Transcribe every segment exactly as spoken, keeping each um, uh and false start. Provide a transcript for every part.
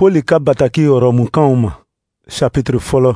Poli ka bataki Rɔmukanw ma, chapitre fɔlɔ.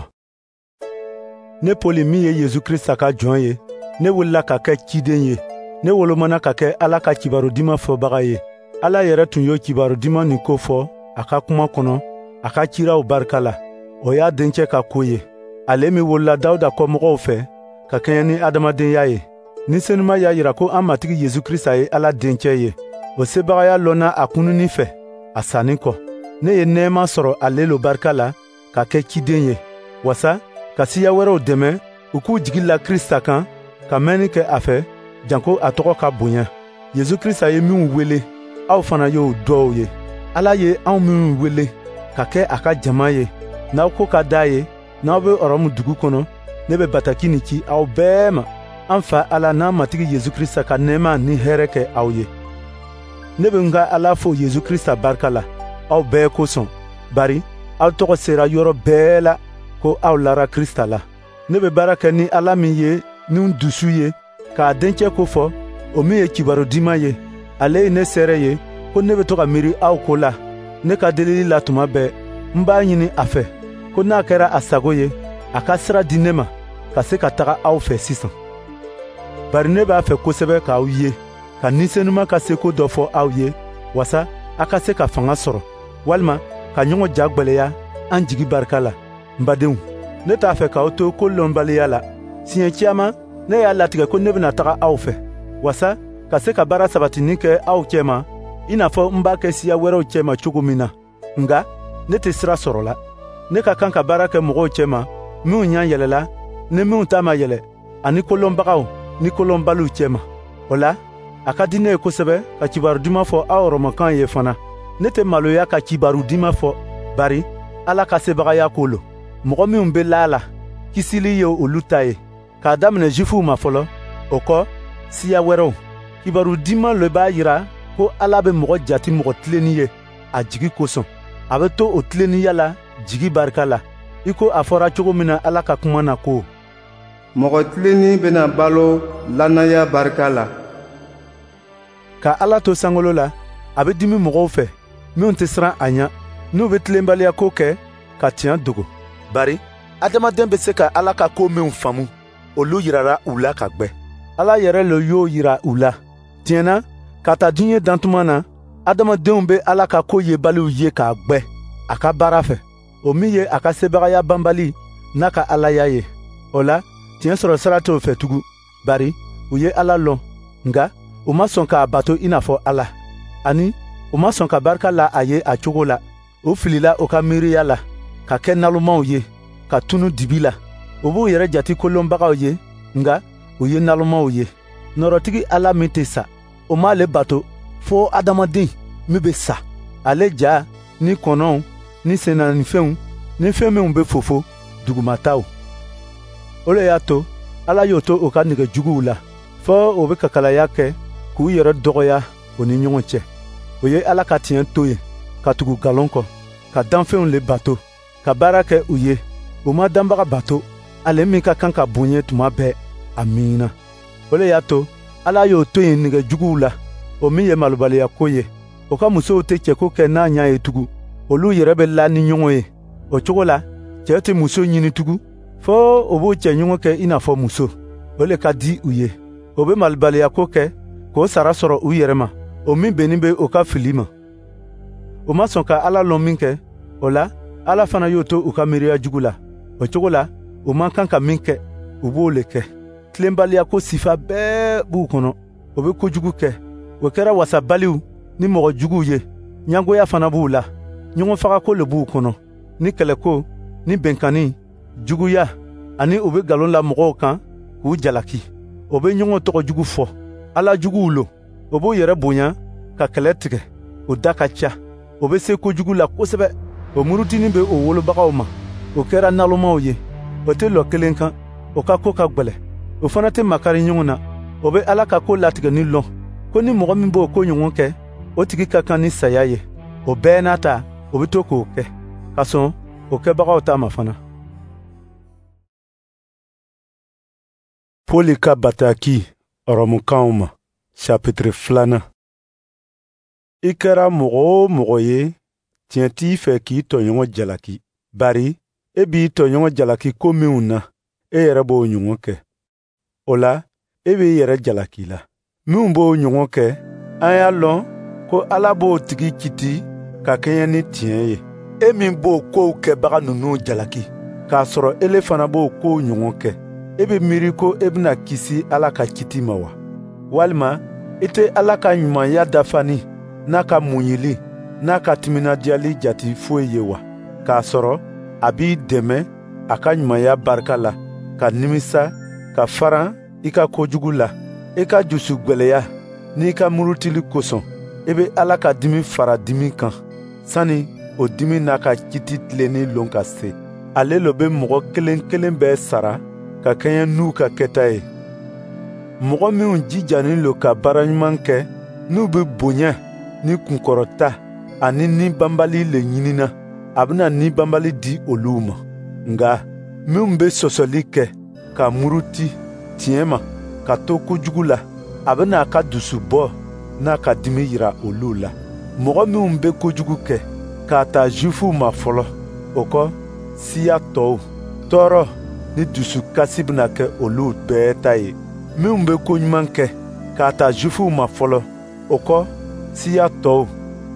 Ne Poli min ye Yesu Krista ka jɔn ye, ne wulila ka kɛ ciden ye. Ne wolomana ka kɛ Ala ka kibaru diman fɔbaga ye. Ala yɛrɛ tun y'o kibaru diman nin ko fɔ a ka kuma kɔnɔ, a ka kiraw barika la. O y'a dencɛ ka ko ye, ale min wolola Dawuda kɔmɔgɔw fɛ ka kɛɲɛ ni adamadenya ye. Ni Senuma y'a yira ko an Matigi Yesu Krista ye Ala dencɛ ye. O sebagaya lɔnna a kununni fɛ a sanni kɔ. Ne ye nɛɛma sɔrɔ ale lo barika la ka kɛ ciden ye, wasa ka siya wɛrɛw dɛmɛ u k'u jigi la Krista kan, ka mɛnni kɛ a fɛ, janko a tɔgɔ ka bonya. Yesu Krista ye minw wele, aw fana y'o dɔw ye. Ala ye anw minw wele ka kɛ a ka jama ye, n'aw ko ka d'a ye, n'aw bɛ Rɔmu dugu kɔnɔ, ne bɛ bataki nin ci aw bɛɛ ma. An Fa Ala n'an Matigi Yesu Krista ka nɛɛma ni hɛrɛ kɛ aw ye. Ne bɛ n ka Ala fo Yesu Krista barika la, aw bɛɛ kosɔn, bari aw tɔgɔ sera yɔrɔ bɛɛ la ko aw lara Krista la. Ne bɛ baara kɛ ni Ala min ye ni n dusu ye k'a dencɛ ko fɔ, o min ye kibaru diman ye, ale ye ne seere ye ko ne bɛ to ka miiri aw ko la ne ka delili la tuma bɛɛ. N b'a ɲini a fɛ ko n'a kɛra a sago ye, a ka sira di ne ma ka se ka taga aw fɛ sisan. Bari ne b'a fɛ kosɛbɛ k'aw ye, ka Ni Senuma ka seko dɔ fɔ aw ye, wasa a ka se ka fanga sɔrɔ, walima ka ɲɔgɔn ja gwɛlɛya an jigi barika la. N badenw, ne t'a fɛ k'aw to ko lɔnbaliya la. Siɲɛ caman ne y'a latigɛ ko ne bɛna taga aw fɛ, wasa ka se ka baara sabatinin kɛ aw cɛma, i n'a fɔ n b'a kɛ siya wɛrɛw cɛma cogo min na. Nka ne tɛ sira sɔrɔ la. Ne ka kan ka baara kɛ mɔgɔw cɛma minw ɲɛ yɛlɛla ni minw ta ma yɛlɛ, ani kolɔnbagaw ni kolɔnbaliw cɛma. O la, a ka di ne ye kosɛbɛ ka kibaru duman fɔ aw Rɔmɔkan ye fana. Ne tɛ maloya ka kibaru diman fɔ, bari Ala ka sebagaya ko lo. Mɔgɔ minw bɛ la la, kisili ye olu ta ye, k'a daminɛ Jufuw ma fɔlɔ, o kɔ siya wɛrɛw. Kibaru diman le b'a yira ko Ala bɛ mɔgɔ jati mɔgɔ tilenni ye a jigi kosɔn. A bɛ to o tilennenya la jigi barika la, i ko a fɔra cogo min na Ala ka kuma na ko: Mɔgɔ tilenni bɛna balo lannaya barika la. Ka Ala to sankolo la, a bɛ dimi mɔgɔw fɛ minw tɛ siran a ɲɛ, n'u bɛ tilenbaliya ko kɛ ka tiɲɛ dogo. Bari adamaden bɛ se ka Ala ka ko minw faamu, olu yirara u la ka gwɛ. Ala yɛrɛ le y'o yira u la. Tiɲɛ na, ka ta diɲɛ dantuma na, adamadenw bɛ Ala ka ko yebaliw ye k'a gwɛ a ka baara fɛ, o min ye a ka sebagaya banbali n'a ka Alaya ye. O la, tiɲɛ sɔrɔ sira t'o fɛ tugun, bari u ye Ala lɔn, nka u ma sɔn k'a bato i n'a fɔ Ala, ani u ma sɔn ka barika la a ye a cogo la. U filila u ka miiriya la, ka kɛ nalomaw ye, ka tunu dibi la. U b'u yɛrɛ jati kolonbagaw ye, nka u ye nalomaw ye. Nɔrɔtigi Ala min tɛ sa, o m'ale bato fo adamaden min bɛ sa. Ale ja ni kɔnɔw ni sennanifɛnw ni fɛn minw bɛ fofo dugumataw. O le y'a to Ala y'o to u ka nege juguw la, fo u bɛ kakalaya kɛ k'u yɛrɛ dɔgɔya u ni ɲɔgɔn cɛ. O ye Ala ka tiɲɛ to yen, ka tugu nkalon kɔ, ka danfɛnw le bato, ka baara kɛ u ye. U ma danbaga bato, ale min ka kan ka bonya tuma bɛɛ. Amiina. O le y'a to Ala y'o to yen nege juguw la, o min ye malobaliya ko ye. O ka musow tɛ cɛko kɛ n'a ɲɛ ye tugun, olu yɛrɛ bɛ la ni ɲɔgɔn ye. O cogo la, cɛ tɛ muso ɲini tugun, fo o b'u cɛɲɔgɔn kɛ i n'a fɔ muso. O le ka di u ye. O bɛ malobaliya ko kɛ k'o sara sɔrɔ u yɛrɛ ma, o min bɛnnin bɛ o ka fili ma. U ma sɔn ka Ala lɔn min kɛ, o la Ala fana y'o to u ka miiriya jugu la. O cogo la, u man kan ka min kɛ, u b'o le kɛ. Tilenbaliya ko sifa bɛɛ b'u kɔnɔ. U bɛ kojugu kɛ. O kɛra wasabaliw ni mɔgɔ juguw ye. Ɲɛngoya fana b'u la. Ɲɔgɔnfagako le b'u kɔnɔ, ni kɛlɛko, ni bɛnkanni, juguya, ani u bɛ nkalon la mɔgɔw kan k'u jalaki. O bɛ ɲɔgɔn tɔgɔ jugu fɔ. Ala juguw lo. O b'u yɛrɛ bonya ka kɛlɛ tigɛ. O da ka ca. O bɛ se kojugu la kosɛbɛ. O murutini bɛ o wolobagaw ma. O kɛra nalomaw ye. O tɛ lɔ kelen kan. O ka ko ka gwɛlɛ. O fana tɛ makari ɲɔgɔn na. O bɛ Ala ka ko latigɛni lɔn, ko ni mɔgɔ min b'o ko ɲɔgɔn kɛ, o tigi ka kan ni saya ye. O bɛɛ n'a ta, o bɛ to k'o kɛ, ka sɔn o kɛbagaw ta ma fana. Poli ka bataki Rɔmukanw ma, chapitre filanan. I kɛra mɔgɔ o mɔgɔ ye, Tiɲɛ t'i fɛ k'i tɔɲɔgɔn jalaki, bari e b'i tɔɲɔgɔn jalaki ko minw na, e yɛrɛ b'o ɲɔgɔn kɛ. O la, e b'i yɛrɛ jalaki la. Minw b'o ɲɔgɔn kɛ, an y'a lɔn ko Ala b'o tigi kiti ka kɛɲɛ ni tiɲɛ ye. E min b'o kow kɛbaga ninnu jalaki, k'a sɔrɔ ele fana b'o kow ɲɔgɔn kɛ, e bɛ miiri ko e bɛna kisi Ala ka kiti ma wa? Walima i tɛ Ala ka ɲumanya dafani n'a ka muɲuli n'a ka timinandiyali jati foyi ye wa? K'a sɔrɔ a b'i dɛmɛ a ka ɲumanya barika la, ka nimisa, ka faran i ka kojugu la. I ka jusu gwɛlɛya n'i ka murutili kosɔn, i bɛ Ala ka dimi fara dimi kan, sani o dimi n'a ka kiti tilenni lon ka se. Ale lo bɛ mɔgɔ kelen kelen bɛɛ sara ka kɛɲɛ n'u ka kɛta ye. Mɔgɔ minw jijanin lo ka baara ɲuman kɛ, n'u bɛ bonya ni kunkɔrɔta ani ni banbali le ɲinina, a bɛna ni banbali di olu ma. Nka minw bɛ sɔsɔli kɛ ka muruti tiɲɛ ma ka to kojugu la, a bɛna a ka dusubɔ n'a ka dimi yira olu la. Mɔgɔ minw bɛ kojugu kɛ, k'a ta Jufuw ma fɔlɔ, o kɔ siya tɔw, tɔɔrɔ ni dusukasi bɛna kɛ olu bɛɛ ta ye. Minw bɛ koɲuman kɛ, k'a ta Jufuw ma fɔlɔ, o kɔ siya tɔw,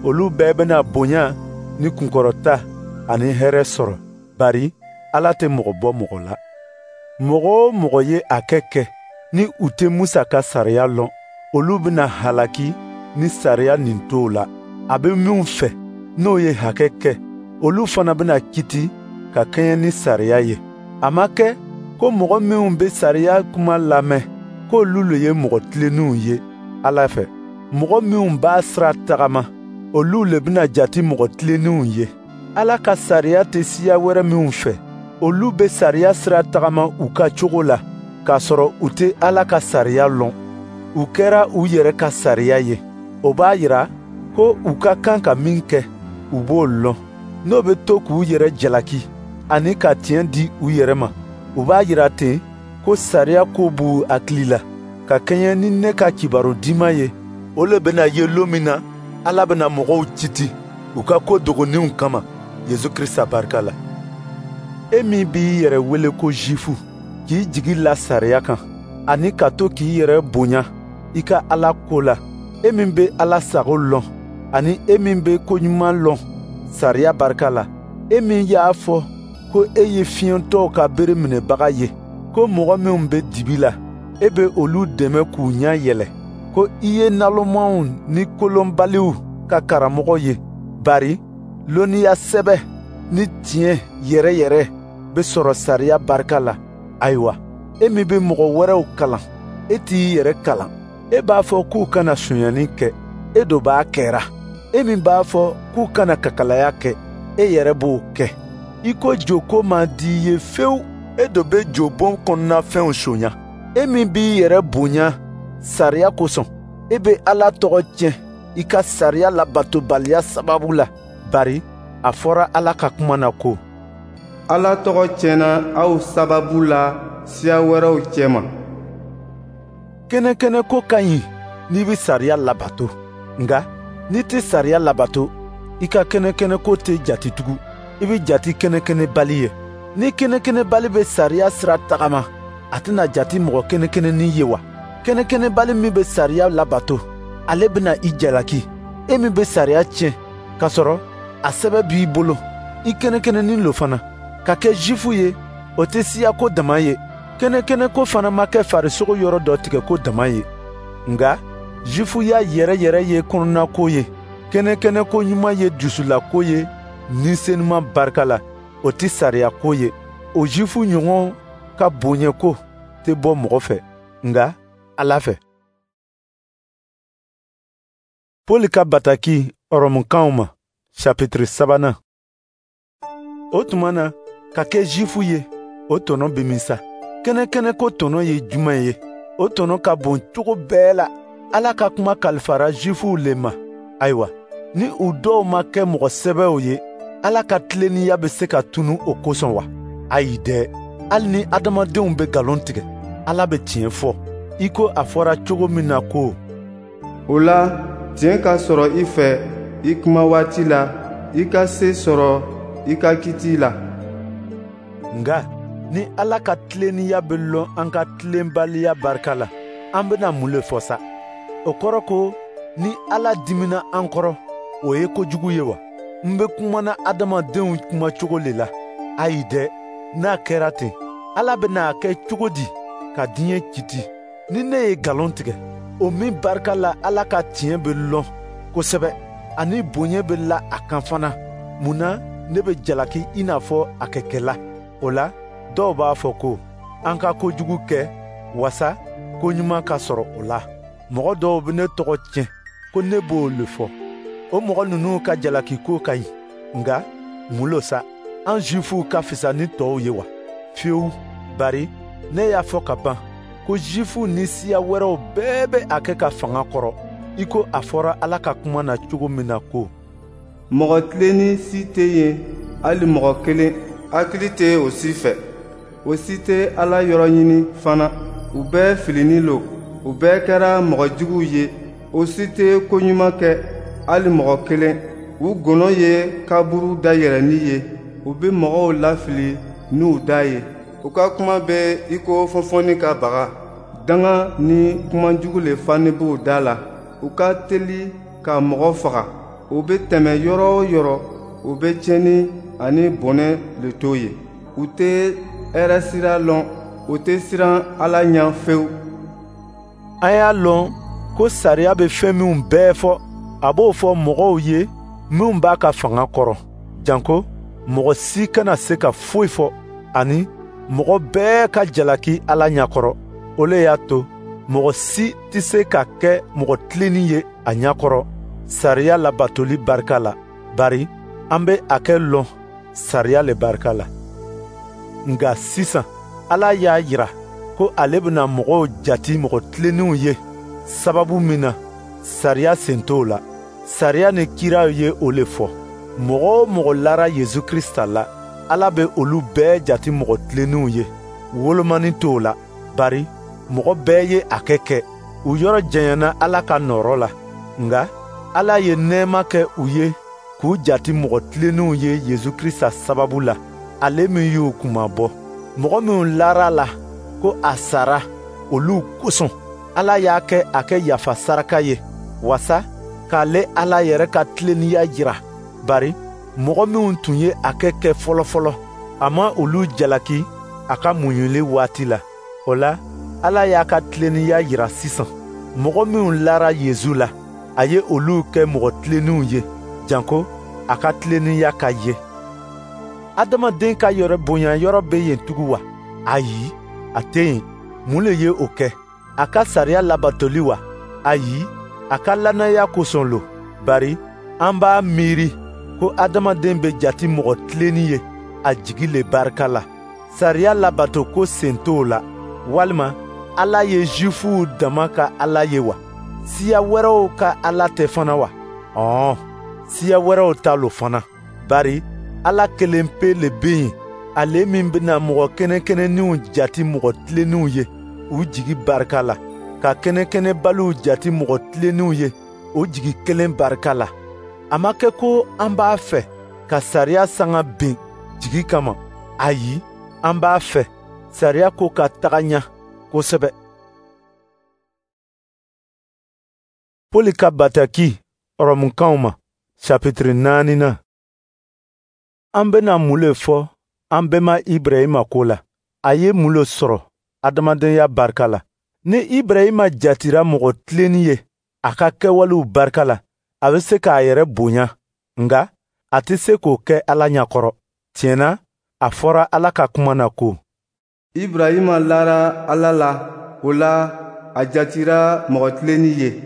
olu bɛɛ bɛna bonya ni kunkɔrɔta ani hɛrɛ sɔrɔ, bari Ala tɛ mɔgɔ bɔ mɔgɔ la. Mɔgɔ o mɔgɔ ye a kɛ kɛ ni u tɛ Musa ka sariya lɔn, olu bɛna halaki ni sariya nin t'o la. A bɛ minw fɛ n'o ye hakɛ kɛ, olu fana bɛna kiti ka kɛɲɛ ni sariya ye. A ma kɛ ko mɔgɔ minw bɛ sariya kuma lamɛn, k'olu le ye mɔgɔ tilennenw ye Ala fɛ. Mɔgɔ minw b'a sira tagama, olu le bɛna jati mɔgɔ tilennenw ye. Ala ka sariya tɛ siya wɛrɛ minw fɛ, olu bɛ sariya sira tagama u ka cogo la, k'a sɔrɔ u tɛ Ala ka sariya lɔn. U kɛra u yɛrɛ ka sariya ye. O b'a yira ko u ka kan ka min kɛ, u b'o lɔn. N'o bɛ to k'u yɛrɛ jalaki ani ka tiɲɛ di u yɛrɛ ma, u b'a yira ten ko sariya ko b'u hakili la. Ka kɛɲɛ ni ne ka kibaru diman ye, o le bɛna ye lon min na Ala bɛna mɔgɔw kiti u ka ko dogoninw kama Yesu Krisita barika la. E min b'i yɛrɛ wele ko Jufu, k'i jigi la sariya kan, ani ka to k'i yɛrɛ bonya i ka Ala ko la, e min bɛ Ala sago lɔn, ani e min bɛ koɲuman lɔn sariya barika la, e min y'a fɔ ko e ye fiɲɛtɔw ka bere minɛbaga ye, ko mɔgɔ minw bɛ dibi la, e bɛ olu dɛmɛ k'u ɲɛ yɛlɛ, ko i ye nalomaw ni kolonbaliw ka karamɔgɔ ye, bari lɔnniya sɛbɛ ni tiɲɛ yɛrɛ yɛrɛ bɛ sɔrɔ sariya barika la. Ayiwa, e min bɛ mɔgɔ wɛrɛw kalan, e t'i yɛrɛ kalan. E b'a fɔ k'u kana sonyani kɛ, e do b'a kɛra. E min b'a fɔ k'u kana kakalaya kɛ, e yɛrɛ b'o kɛ. I ko joko man di i ye fewu, e do bɛ jobon kɔnɔnafɛnw sonya. E min b'i yɛrɛ bonya sariya kosɔn, e bɛ Ala tɔgɔ tiɲɛ i ka sariya labatobaliya sababu la, bari a fɔra Ala ka kuma na ko: Ala tɔgɔ tiɲɛna aw sababu la siya wɛrɛw cɛma. Kɛnɛkɛnɛ ko ka ɲi n'i bɛ sariya labato, nka n'i tɛ sariya labato, i ka kɛnɛkɛnɛ ko tɛ jati tugun, i bɛ jati kɛnɛkɛnɛbali ye. Ni kɛnɛkɛnɛbali bɛ sariya sira tagama, a tɛna jati mɔgɔ kɛnɛkɛnɛnin ye wa? Kɛnɛkɛnɛbali min bɛ sariya labato, ale bɛna i jalaki. E min bɛ sariya tiɲɛ, k'a sɔrɔ a sɛbɛ b'i bolo, i kɛnɛkɛnɛnin lo fana. Ka kɛ Jufu ye, o tɛ siyako dama ye. Kɛnɛkɛnɛko fana ma kɛ farisogo yɔrɔ dɔ tigɛko dama ye. Nka Jufuya yɛrɛ yɛrɛ ye kɔnɔnako ye. Kɛnɛkɛnɛko ɲuman ye dusulako ye ni senuman barika la, o tɛ sariyako ye. O Jufu ɲɔgɔn ka bonyɛko tɛ bɔ mɔgɔ fɛ, nka Ala fɛ. Pɔli ka bataki Ɔrɔmukanw ma, chapitre sabanan. O tuma na, ka kɛ Jufu ye, o tɔnɔ bɛ min sa? Kɛnɛkɛnɛko tɔnɔ ye jumɛn ye? O tɔnɔ ka bon cogo bɛɛ la. Ala ka kuma kalifara Jufuw le ma. Ayiwa, ni u dɔw ma kɛ mɔgɔ sɛbɛw ye, Ala ka tilennenya bɛ se ka tunu o kosɔn wa? Ayi dɛ! Hali ni adamadenw bɛ nkalon tigɛ, Ala bɛ tiɲɛ fɔ, i ko a fɔra cogo min na ko: O la, tiɲɛ ka sɔrɔ i fɛ i kuma waati la, i ka se sɔrɔ i ka kiti la. Nka ni Ala ka tilennenya bɛ lɔn an ka tilenbaliya barika la, an bɛna mun le fɔ sa? O kɔrɔ ko ni Ala dimina an kɔrɔ, o ye kojugu ye wa? N bɛ kumana adamadenw kumacogo le la. Ayi dɛ, n'a kɛra ten, Ala bɛna a kɛ cogo di ka diɲɛ kiti? Ni ne ye nkalon tigɛ, o min barika la Ala ka tiɲɛ bɛ lɔn kosɛbɛ, ani bonya bɛ la a kan fana, mun na ne bɛ jalaki i n'a fɔ a kɛkɛla? O la, dɔw b'a fɔ ko an ka kojugu kɛ wasa ko ɲuman ka sɔrɔ o la. Mɔgɔ dɔw bɛ ne tɔgɔ tiɲɛ ko ne b'o le fɔ. O mɔgɔ ninnu ka jalaki ko ka ɲi, nka mun lo sa? An Zifuw ka fisa ni tɔw ye wa? Fiyewu, bari ne y'a fɔ ka ban ko Zifuw ni siya wɛrɛw bɛɛ bɛ a kɛ ka fanga kɔrɔ, i ko a fɔra Ala ka kuma na cogo min na ko: Mɔgɔ tilenni si tɛ yen, hali mɔgɔ kelen. Hakili tɛ o si fɛ. O si tɛ Ala yɔrɔ ɲini fana. U bɛɛ filinin lo, u bɛɛ kɛra mɔgɔ juguw ye. O si tɛ ko ɲuman kɛ, hali mɔgɔ kelen. U gɔnɔ ye kaburu dayɛlɛnni ye. U bɛ mɔgɔw lafili n'u da ye. U ka kuma bɛ i ko fɔnfɔnni ka baga. Danga ni kumajugu le fani b'u da la. U ka teli ka mɔgɔ faga. U bɛ tɛmɛ yɔrɔ o yɔrɔ, u bɛ tiɲɛni ani bɔnɛ le to yen. U tɛ hɛrɛ sira lɔn, u tɛ siran Ala ɲɛ fewu. An y'a lɔn ko sariya bɛ fɛn minw bɛɛ fɔ, a b'o fɔ mɔgɔw ye minw b'a ka fanga kɔrɔ, janko mɔgɔ si kana se ka foyi fɔ, ani mɔgɔ bɛɛ ka jalaki Ala ɲɛkɔrɔ. O le y'a to mɔgɔ si tɛ se ka kɛ mɔgɔ tilenni ye a ɲɛkɔrɔ sariya labatoli barika la, bari an bɛ a kɛ lɔn sariya le barika la. Nka sisan Ala y'a jira ko ale bɛna mɔgɔw jati mɔgɔ tilenninw ye sababu min na, sariya sen t'o la. Sariya ni kiraw ye o le fɔ. Mɔgɔ o mɔgɔ lara Yesu Krisita la, Ala bɛ olu bɛɛ jati mɔgɔ tilenninw ye. Wolomani t'o la, bari mɔgɔ bɛɛ ye a kɛ kɛ. U yɔrɔ janyana Ala ka nɔɔrɔ la, nka Ala ye nɛɛma kɛ u ye k'u jati mɔgɔ tilenninw ye Yesu Krisita sababu la, ale min y'u kunmabɔ. Mɔgɔ minnu lara a la ko a sara olu kosɔn, Ala y'a kɛ a kɛ yafa saraka ye, wasa k'ale Ala yɛrɛ ka tilennenya jira, bari mɔgɔ minnu tun ye a kɛ kɛ fɔlɔfɔlɔ, a ma olu jalaki a ka muɲuli waati la. O la, Ala y'a ka tilennenya jira sisan. Mɔgɔ minnu lara Yesu la, a ye olu kɛ mɔgɔ tilenninw ye, janko a ka tilennenya ka ye. Adamaden ka yɛrɛ bonya yɔrɔ bɛ yen tugun wa? Ayi, a tɛ yen. Mun le ye o kɛ? A ka sariya labatoli wa? Ayi, a ka lannaya kosɔn lo. Bari an b'a miiri ko adamaden bɛ jati mɔgɔ tilenni ye a jigi le barika la. Sariya labato ko sen t'o la. Walima Ala ye Zifuw dama ka Ala ye wa? Siya wɛrɛw ka Ala tɛ fana wa? Ɔɔ, siya wɛrɛw ta lo fana. Bari Ala kelen pe le bɛ yen, ale min bɛna mɔgɔ kɛnɛkɛnɛninw jati mɔgɔ tilenninw ye u jigi barika la, ka kɛnɛkɛnɛbaliw jati mɔgɔ tilenninw ye o jigi kelen barika la. A ma kɛ ko an b'a fɛ ka sariya sanga bin jigi kama. Ayi, an b'a fɛ sariya ko ka taga ɲɛ kosɛbɛ. Pɔli ka bataki Ɔrɔmukanw ma, chapitre naaninan. An bɛna mun le fɔ an bɛma Ibrahima ko la? A ye mun le sɔrɔ adamadenya barika la? Ni Ibrahima jatira mɔgɔ tilenni ye a ka kɛwalew barika la, a bɛ se k'a yɛrɛ bonya, nka a tɛ se k'o kɛ Ala ɲɛkɔrɔ. Tiɲɛ na, a fɔra Ala ka kuma na ko: Ibrahima lara Ala la, o la a jatira mɔgɔ tilenni ye.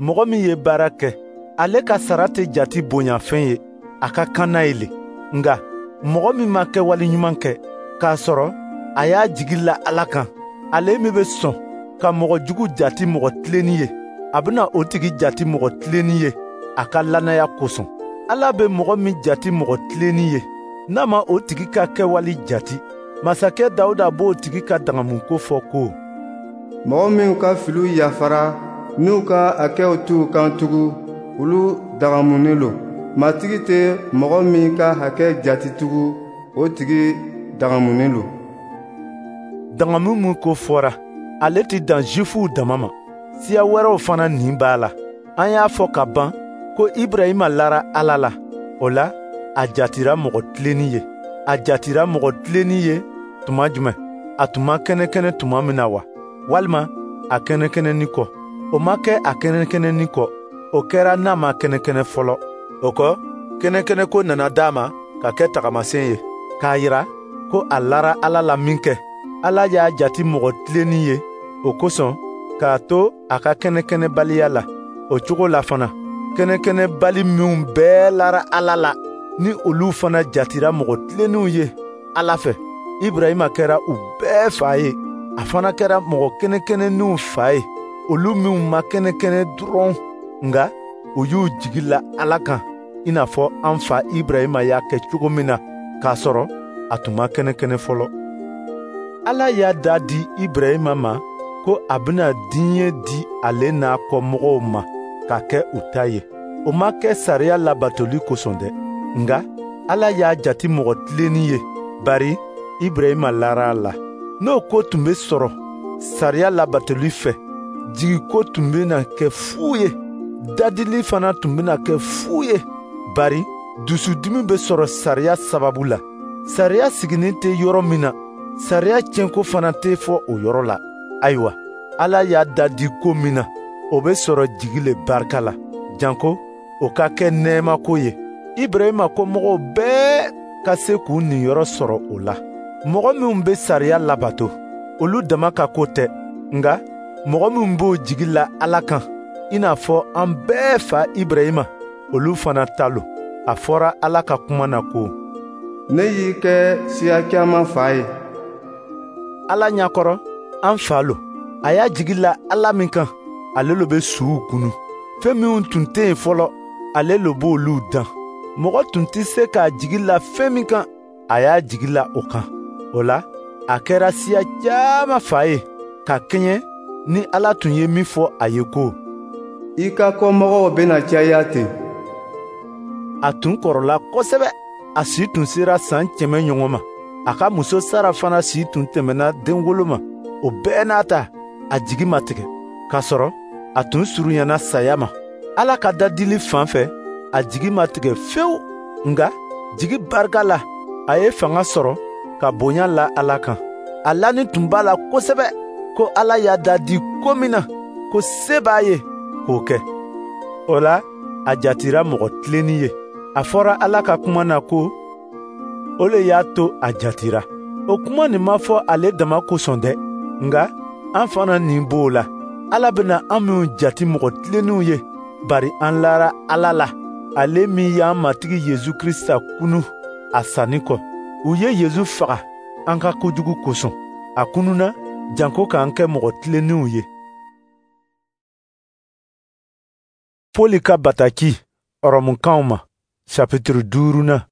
Mɔgɔ min ye baara kɛ, ale ka sara tɛ jati bonyafɛn ye, a ka kan n'a ye le. Nka mɔgɔ min ma kɛwale ɲuman kɛ, k'a sɔrɔ a y'a jigi la Ala kan, ale min bɛ sɔn ka mɔgɔ jugu jati mɔgɔ tilenni ye, a bɛna o tigi jati mɔgɔ tilenni ye a ka lannaya kosɔn. Ala bɛ mɔgɔ min jati mɔgɔ tilenni ye, n'a ma o tigi ka kɛwale jati, masakɛ Dawuda b'o tigi ka dagamuko fɔ ko: Mɔgɔ minnu ka filiw yafara, n'u ka hakɛw t'u kan tugun, olu dagamunen lo. Matigi tɛ mɔgɔ min ka hakɛ jate tugun, o tigi dagamunin lo. Dagamu min ko fɔra, ale tɛ dan Zifuw dama ma, siya wɛrɛw fana nin b'a la. An y'a fɔ ka ban ko Ibrahima lara Ala la, o la a jatira mɔgɔ tilennin ye. A jatira mɔgɔ tilennin ye tuma jumɛn? A tun ma kɛnɛkɛnɛ tuma min na wa? Walima a kɛnɛkɛnɛni kɔ? O ma kɛ a kɛnɛkɛnɛni kɔ, o kɛra n'a ma kɛnɛkɛnɛ fɔlɔ. O kɔ, kɛnɛkɛnɛko nana d'a ma ka kɛ tagamasen ye, k'a yira ko a lara Ala la minkɛ, Ala y'a jate mɔgɔ tilennin ye o kosɔn k'a to a ka kɛnɛkɛnɛbaliya la. O cogo la fana, kɛnɛkɛnɛbali minw bɛɛ lara Ala la, ni olu fana jatira mɔgɔ tilennenw ye Ala fɛ, Ibrahima kɛra u bɛɛ fa ye. A fana kɛra mɔgɔ kɛnɛkɛnɛninw fa ye, olu minw ma kɛnɛkɛnɛ dɔrɔn, nka u y'u jigi la Ala kan, i n'a fɔ an fa Ibrahima y'a kɛ cogo min na, k'a sɔrɔ a tun ma kɛnɛkɛnɛ fɔlɔ. Ala y'a da di Ibrahima ma ko a bɛna diɲɛ di ale n'a kɔmɔgɔw ma ka kɛ u ta ye. O ma kɛ sariya labatoli kosɔn dɛ, nka Ala y'a jate mɔgɔ tilennin ye, bari Ibrahima lara a la. N'o ko tun bɛ sɔrɔ sariya labatoli fɛ, jigiko tun bɛna kɛ fu ye, dadili fana tun bɛna kɛ fu ye, bari dusudimi bɛ sɔrɔ sariya sababu la. Sariya siginin tɛ yɔrɔ min na, sariya tiɲɛko fana tɛ fɔ o yɔrɔ la. Ayiwa, Ala y'a dadi ko min na, o bɛ sɔrɔ jigi le barika la, janko o ka kɛ nɛɛmako ye. Ibrahima kɔmɔgɔw bɛɛ ka se k'u niyɔrɔ sɔrɔ o la. Mɔgɔ minw bɛ sariya labato, olu dama ka ko tɛ, nka mɔgɔ minw b'o jigi la Ala kan, i n'a fɔ an bɛɛ fa Ibrahima, olu fana ta lo. A fɔra Ala ka kuma na ko: Ne y'i kɛ siya caman fa ye. Ala ɲɛkɔrɔ, an fa lo. A y'a jigi la Ala min kan, ale lo bɛ suw kunu. Fɛn minw tun tɛ yen fɔlɔ, ale lo b'olu dan. Mɔgɔ tun tɛ se k'a jigi la fɛn min kan, a y'a jigi la o kan. O la, a kɛra siya caman fa ye, ka kɛɲɛ ni Ala tun ye min fɔ a ye ko: I ka kɔmɔgɔw bɛna caya ten. A tun kɔrɔla kosɛbɛ, a si tun sera san kɛmɛ ɲɔgɔn ma. A ka muso Sara fana si tun tɛmɛna denwolo ma. O bɛɛ n'a ta, a jigi ma tigɛ, k'a sɔrɔ a tun surunyana saya ma. Ala ka dadili fan fɛ, a jigi ma tigɛ fewu, nka jigi barika la, a ye fanga sɔrɔ ka bonya la Ala kan. A lani tun b'a la kosɛbɛ ko Ala y'a dadi ko min na, ko se b'a ye k'o kɛ. O la, a jatira mɔgɔ tilennin ye. A fɔra Ala ka kuma na ko o le y'a to a jatira. O kuma nin ma fɔ ale dama kosɔn dɛ, nka an fana nin b'o la. Ala bɛna an minw jate mɔgɔ tilennenw ye, bari an lara Ala la, ale min y'an Matigi Yezu Krisita kunu a sanni kɔ. U ye Yezu faga an ka kojugu kosɔn. A kununa janko k'an kɛ mɔgɔ tilennenw ye. Poli ka bataki Ɔrɔmukanw ma, chapitre duurunan.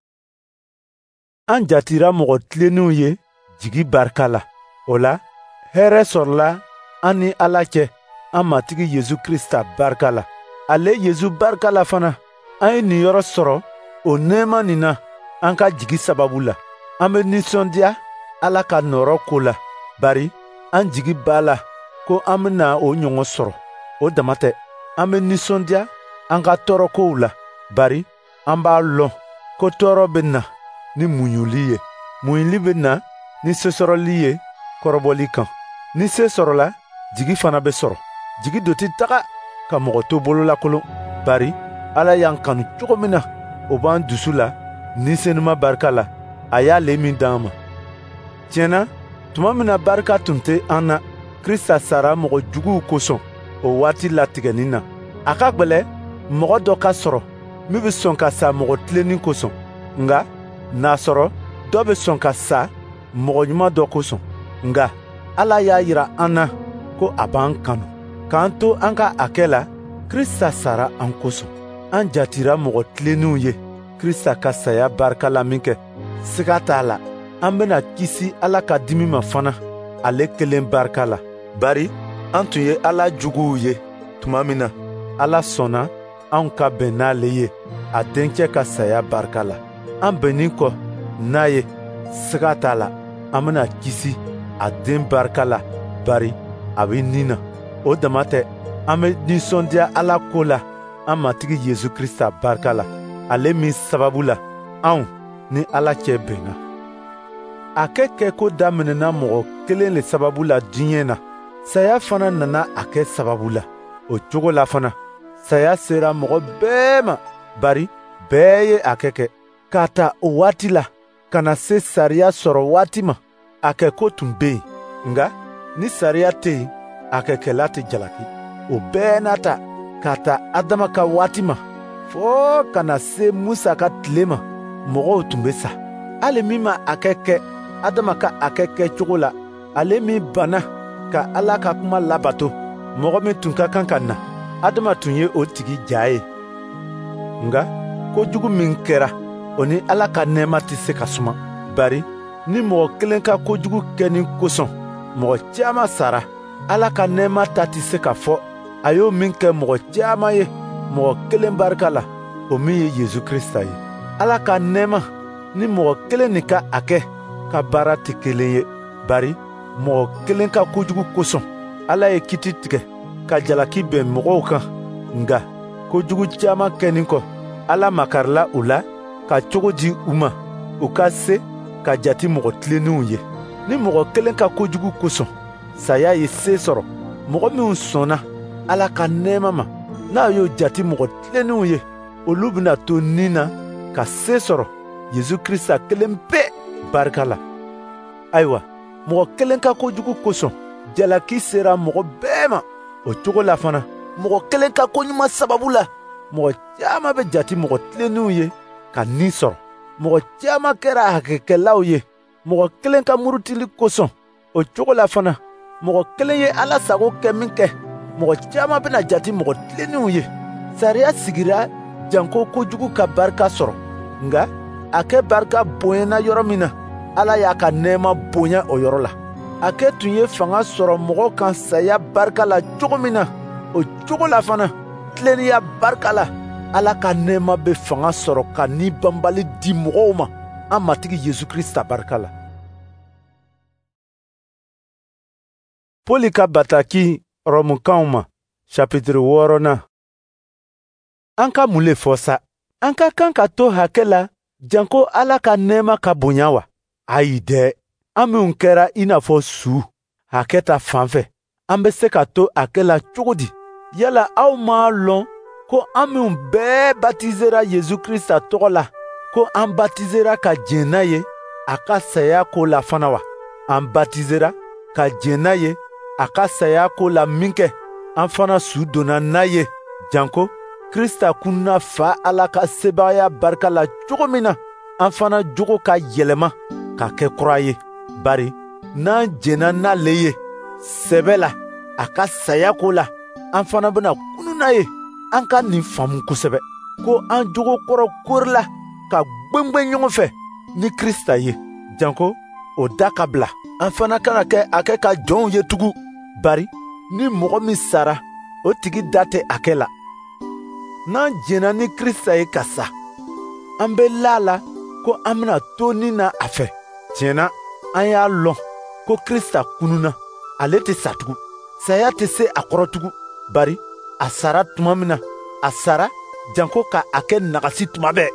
An jatira mɔgɔ tilennenw ye jigi barika la. O la, hɛrɛ sɔrɔla an ni Ala cɛ, an Matigi Yezu Krisita barika la. Ale Yezu barika la fana, an ye niyɔrɔ sɔrɔ o nɛɛma nin na an ka jigi sababu la. An bɛ nisɔndiya Ala ka nɔɔrɔ ko la, bari an jigi b'a la ko an bɛna o ɲɔgɔn sɔrɔ. O dama tɛ, an bɛ nisɔndiya an ka tɔɔrɔkow la, bari an b'a lɔn ko tɔɔrɔ bɛ na ni muɲuli ye. Muɲuli bɛ na ni sesɔrɔli ye kɔrɔbɔli kan. Ni se sɔrɔla, jigi fana bɛ sɔrɔ. Jigi do tɛ taga ka mɔgɔ to bololakolon, bari Ala y'an kanu cogo min na, o b'an dusu la ni senuma barika la, a y'ale min d'an ma. Tiɲɛ na, tuma min na barika tun tɛ an na, Krista sara mɔgɔ juguw kosɔn o waati latigɛnin na. A ka gwɛlɛ mɔgɔ dɔ ka sɔrɔ min bɛ sɔn ka sa mɔgɔ tilennin kosɔn, nka n'a sɔrɔ dɔ bɛ sɔn ka sa mɔgɔ ɲuman dɔ kosɔn. Nka Ala y'a yira an na ko a b'an kanu. K'an to an ka a kɛ la, Krista sara an kosɔn. An jatira mɔgɔ tilennenw ye Krista ka saya barika la minkɛ, siga t'a la, an bɛna kisi Ala ka dimi ma fana ale kelen barika la. Bari an tun ye Ala juguw ye tuma min na, Ala sɔnna anw ka bɛn n'ale ye a dencɛ ka saya barika la. An bɛnnin kɔ n'a ye, siga t'a la, an bɛna kisi a den barika la, bari a bɛ ni na. O dama tɛ, an bɛ nisɔndiya Ala ko la an Matigi Yesu Krisita barika la, ale min sababu la anw ni Ala cɛ bɛnna. Hakɛ kɛko daminɛna mɔgɔ kelen le sababu la diɲɛ na, saya fana nana a kɛ sababu la. O cogo la fana, saya sera mɔgɔ bɛɛ ma, bari bɛɛ ye hakɛ kɛ. K'a ta o waati la ka na se sariya sɔrɔ waati ma, hakɛko tun bɛ yen. Nka ni sariya tɛ yen, hakɛkɛla tɛ jalaki. O bɛɛ n'a ta, k'a ta Adama ka waati ma fɔɔ ka na se Musa ka tile ma, mɔgɔw tun bɛ sa. Hali min ma hakɛ kɛ Adama ka hakɛ kɛcogo la, ale min banna ka Ala ka kuma labato, mɔgɔ min tun ka kan ka na, Adama tun ye o tigi ja ye. Nka kojugu min kɛra, o ni Ala ka nɛɛma tɛ se ka suma. Bari ni mɔgɔ kelen ka kojugu kɛni kosɔn mɔgɔ caman sara, Ala ka nɛɛma ta tɛ se ka fɔ a y'o min kɛ mɔgɔ caman ye mɔgɔ kelen barika la, o min ye Yesu Krisita ye. Ala ka nɛɛma ni mɔgɔ kelen nin ka hakɛ ka baara tɛ kelen ye, bari mɔgɔ kelen ka kojugu kosɔn Ala ye kiti tigɛ ka jalaki bɛn mɔgɔw kan. Nka kojugu caman kɛnin kɔ, Ala makarila u la ka cogo di u ma u ka se ka jate mɔgɔ tilennenw ye. Ni mɔgɔ kelen ka kojugu kosɔn saya ye se sɔrɔ, mɔgɔ minnu sɔnna Ala ka nɛɛma ma, n'a y'o jate mɔgɔ tilennenw ye, olu bɛna to ni na ka se sɔrɔ Yesu Krisita kelen pe barika la. Ayiwa, mɔgɔ kelen ka kojugu kosɔn jalaki sera mɔgɔ bɛɛ ma. O cogo la fana, mɔgɔ kelen ka koɲuman sababu la, mɔgɔ caman bɛ jate mɔgɔ tilennenw ye ka ni sɔrɔ. Mɔgɔ caman kɛra hakɛkɛlaw ye mɔgɔ kelen ka murutili kosɔn. O cogo la fana, mɔgɔ kelen ye Ala sago kɛ min kɛ, mɔgɔ caman bɛna jate mɔgɔ tilennenw ye. Sariya sigira janko kojugu ka barika sɔrɔ, nka hakɛ barika bonyana yɔrɔ min na, Ala y'a ka nɛɛma bonya o yɔrɔ la. Hakɛ tun ye fanga sɔrɔ mɔgɔ kan saya barika la cogo min na, o cogo la fana, tilennenya barika la, Ala ka nɛɛma bɛ fanga sɔrɔ ka ni banbali di mɔgɔw ma an Matigi Yesu Krisita barika la. Poli ka bataki Rɔmukanw ma, chapitre wɔɔrɔnan. An ka mun le fɔ sa? An ka kan ka to hakɛ la janko Ala ka nɛɛma ka bonya wa? Ayi dɛ! An minnu kɛra i n'a fɔ su hakɛ ta fan fɛ, an bɛ se ka to hakɛ la cogo di? Yala aw m'a lɔn ko an minnu bɛɛ batizera Yesu Krisita tɔgɔ la, ko an batizera ka jɛn n'a ye a ka saya ko la fana wa? An batizera ka jɛn n'a ye a ka saya ko la minkɛ, an fana su donna n'a ye janko Krisita kunna Fa Ala ka sebaaya barika la cogo min na, an fana jogo ka yɛlɛma ka kɛ kura ye. Bari n'an jɛnna n'ale ye sɛbɛ la a ka saya ko la, an fana bɛna kunun n'a ye. An ka nin faamu kosɛbɛ ko an jogo kɔrɔ korila ka gwengwen ɲɔgɔn fɛ ni Krisita ye, janko o da ka bila. An fana kana kɛ hakɛ ka jɔnw ye tugun, bari ni mɔgɔ min sara, o tigi da tɛ hakɛ la. N'an jɛnna ni Krisita ye ka sa, an bɛ la a la ko an bɛna to ni na a fɛ. Tiɲɛ na, an y'a lɔn ko Krisita kununna, ale tɛ sa tugun. Saya tɛ se a kɔrɔ tugun, bari a sara tuma min na, a sara janko ka a kɛ nagasi tuma bɛɛ.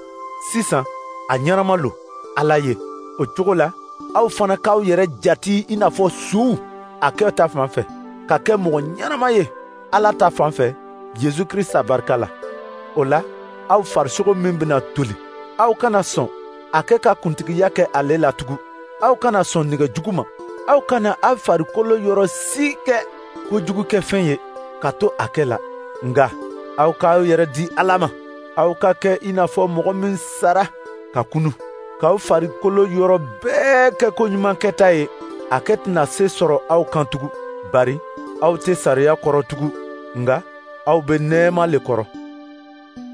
Sisan a ɲɛnama lo Ala ye. O cogo la, aw fana k'aw yɛrɛ jate i n'a fɔ suw hakɛ ta fan fɛ, ka kɛ mɔgɔ ɲɛnama ye Ala ta fan fɛ Yesu Krisita barika la. O la, aw farisogo min bɛna toli, aw kana sɔn hakɛ ka kuntigiya kɛ ale la tugun. Aw kana sɔn nɛgɛ jugu ma. Aw kana aw farikolo yɔrɔ si kɛ kojugukɛfɛn ye ka to hakɛ la. Nka aw k'aw yɛrɛ di Ala ma. Aw ka kɛ i n'a fɔ mɔgɔ min sara ka kunu, k'aw farikolo yɔrɔ bɛɛ kɛ koɲuman kɛta ye. Hakɛ tɛna se sɔrɔ aw kan tugun, bari aw tɛ sariya kɔrɔ tugun, nka aw bɛ nɛɛma le kɔrɔ.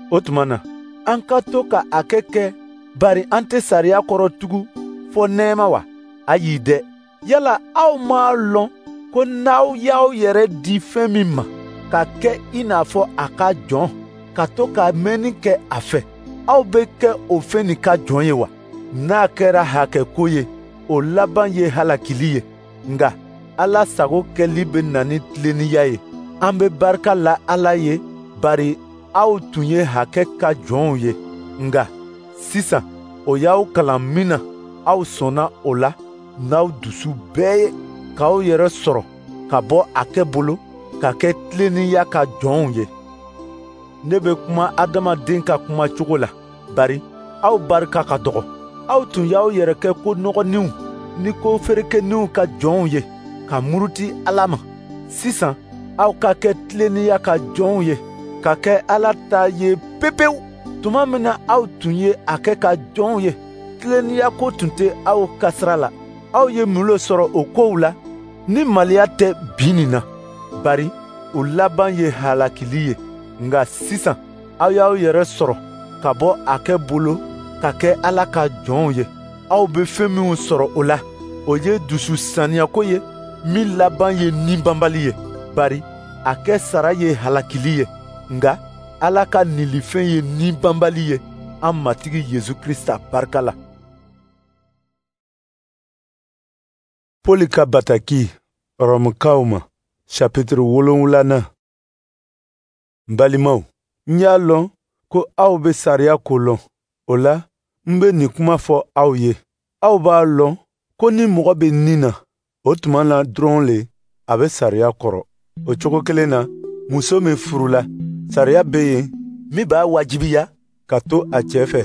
O tuma na, an ka to ka hakɛ kɛ, bari an tɛ sariya kɔrɔ tugun fɔ nɛɛma wa? Ayi dɛ! Yala aw m'a lɔn ko n'aw y'aw yɛrɛ di fɛn min ma, ka kɛ i n'a fɔ a ka jɔn, ka to ka mɛnni kɛ a fɛ, Aw bɛ kɛ o fɛn nin ka jɔn ye wa? N'a kɛra hakɛ ko ye, o laban ye halakili ye. Nka Ala sago kɛli bɛ na ni tilennenya ye. An bɛ barika la Ala ye, bari aw tun ye hakɛ ka jɔnw ye. Nka sisan o y'aw kalan min na, aw sɔnna o la n'aw dusu bɛɛ ye, k'aw yɛrɛ sɔrɔ ka bɔ hakɛ bolo ka kɛ tilennenya ka jɔnw ye. Ne bɛ kuma adamaden ka kuma cogo la, bari aw barika ka dɔgɔ. Aw tun y'aw yɛrɛ kɛ ko nɔgɔninw ni ko ferekeninw ka jɔnw ye, ka muruti Ala ma. Sisan aw ka kɛ tilennenya ka jɔnw ye, ka kɛ Ala ta ye pepewu. Tuma min na aw tun ye a kɛ ka jɔnw ye, tilennenya ko tun tɛ aw ka sira la. Aw ye mun le sɔrɔ o kow la ni maloya tɛ bi nin na? Bari o laban ye halakili ye. Nka sisan aw y'aw yɛrɛ sɔrɔ ka bɔ a kɛ bolo ka kɛ Ala ka jɔnw ye. Aw bɛ fɛn minw sɔrɔ o la, o ye dusu saniyako ye min laban ye ninbanbali ye. Bari a kɛ sara ye halakili ye, nka Ala ka nilifɛn ye ninbanbali ye an Matigi Yesu Krisita barika la. Pɔli ka bataki Rɔmukaw ma, chapitre wolonwulanan. N balimaw, n y'a lɔn ko aw bɛ sariya ko lɔn. O la, n bɛ nin kuma fɔ aw ye. Aw b'a lɔn ko ni mɔgɔ bɛ nin na, o tuma na dɔrɔn le a bɛ sariya kɔrɔ. O cogo kelen na, muso min furula, sariya bɛ yen min b'a wajibiya ka to a cɛ fɛ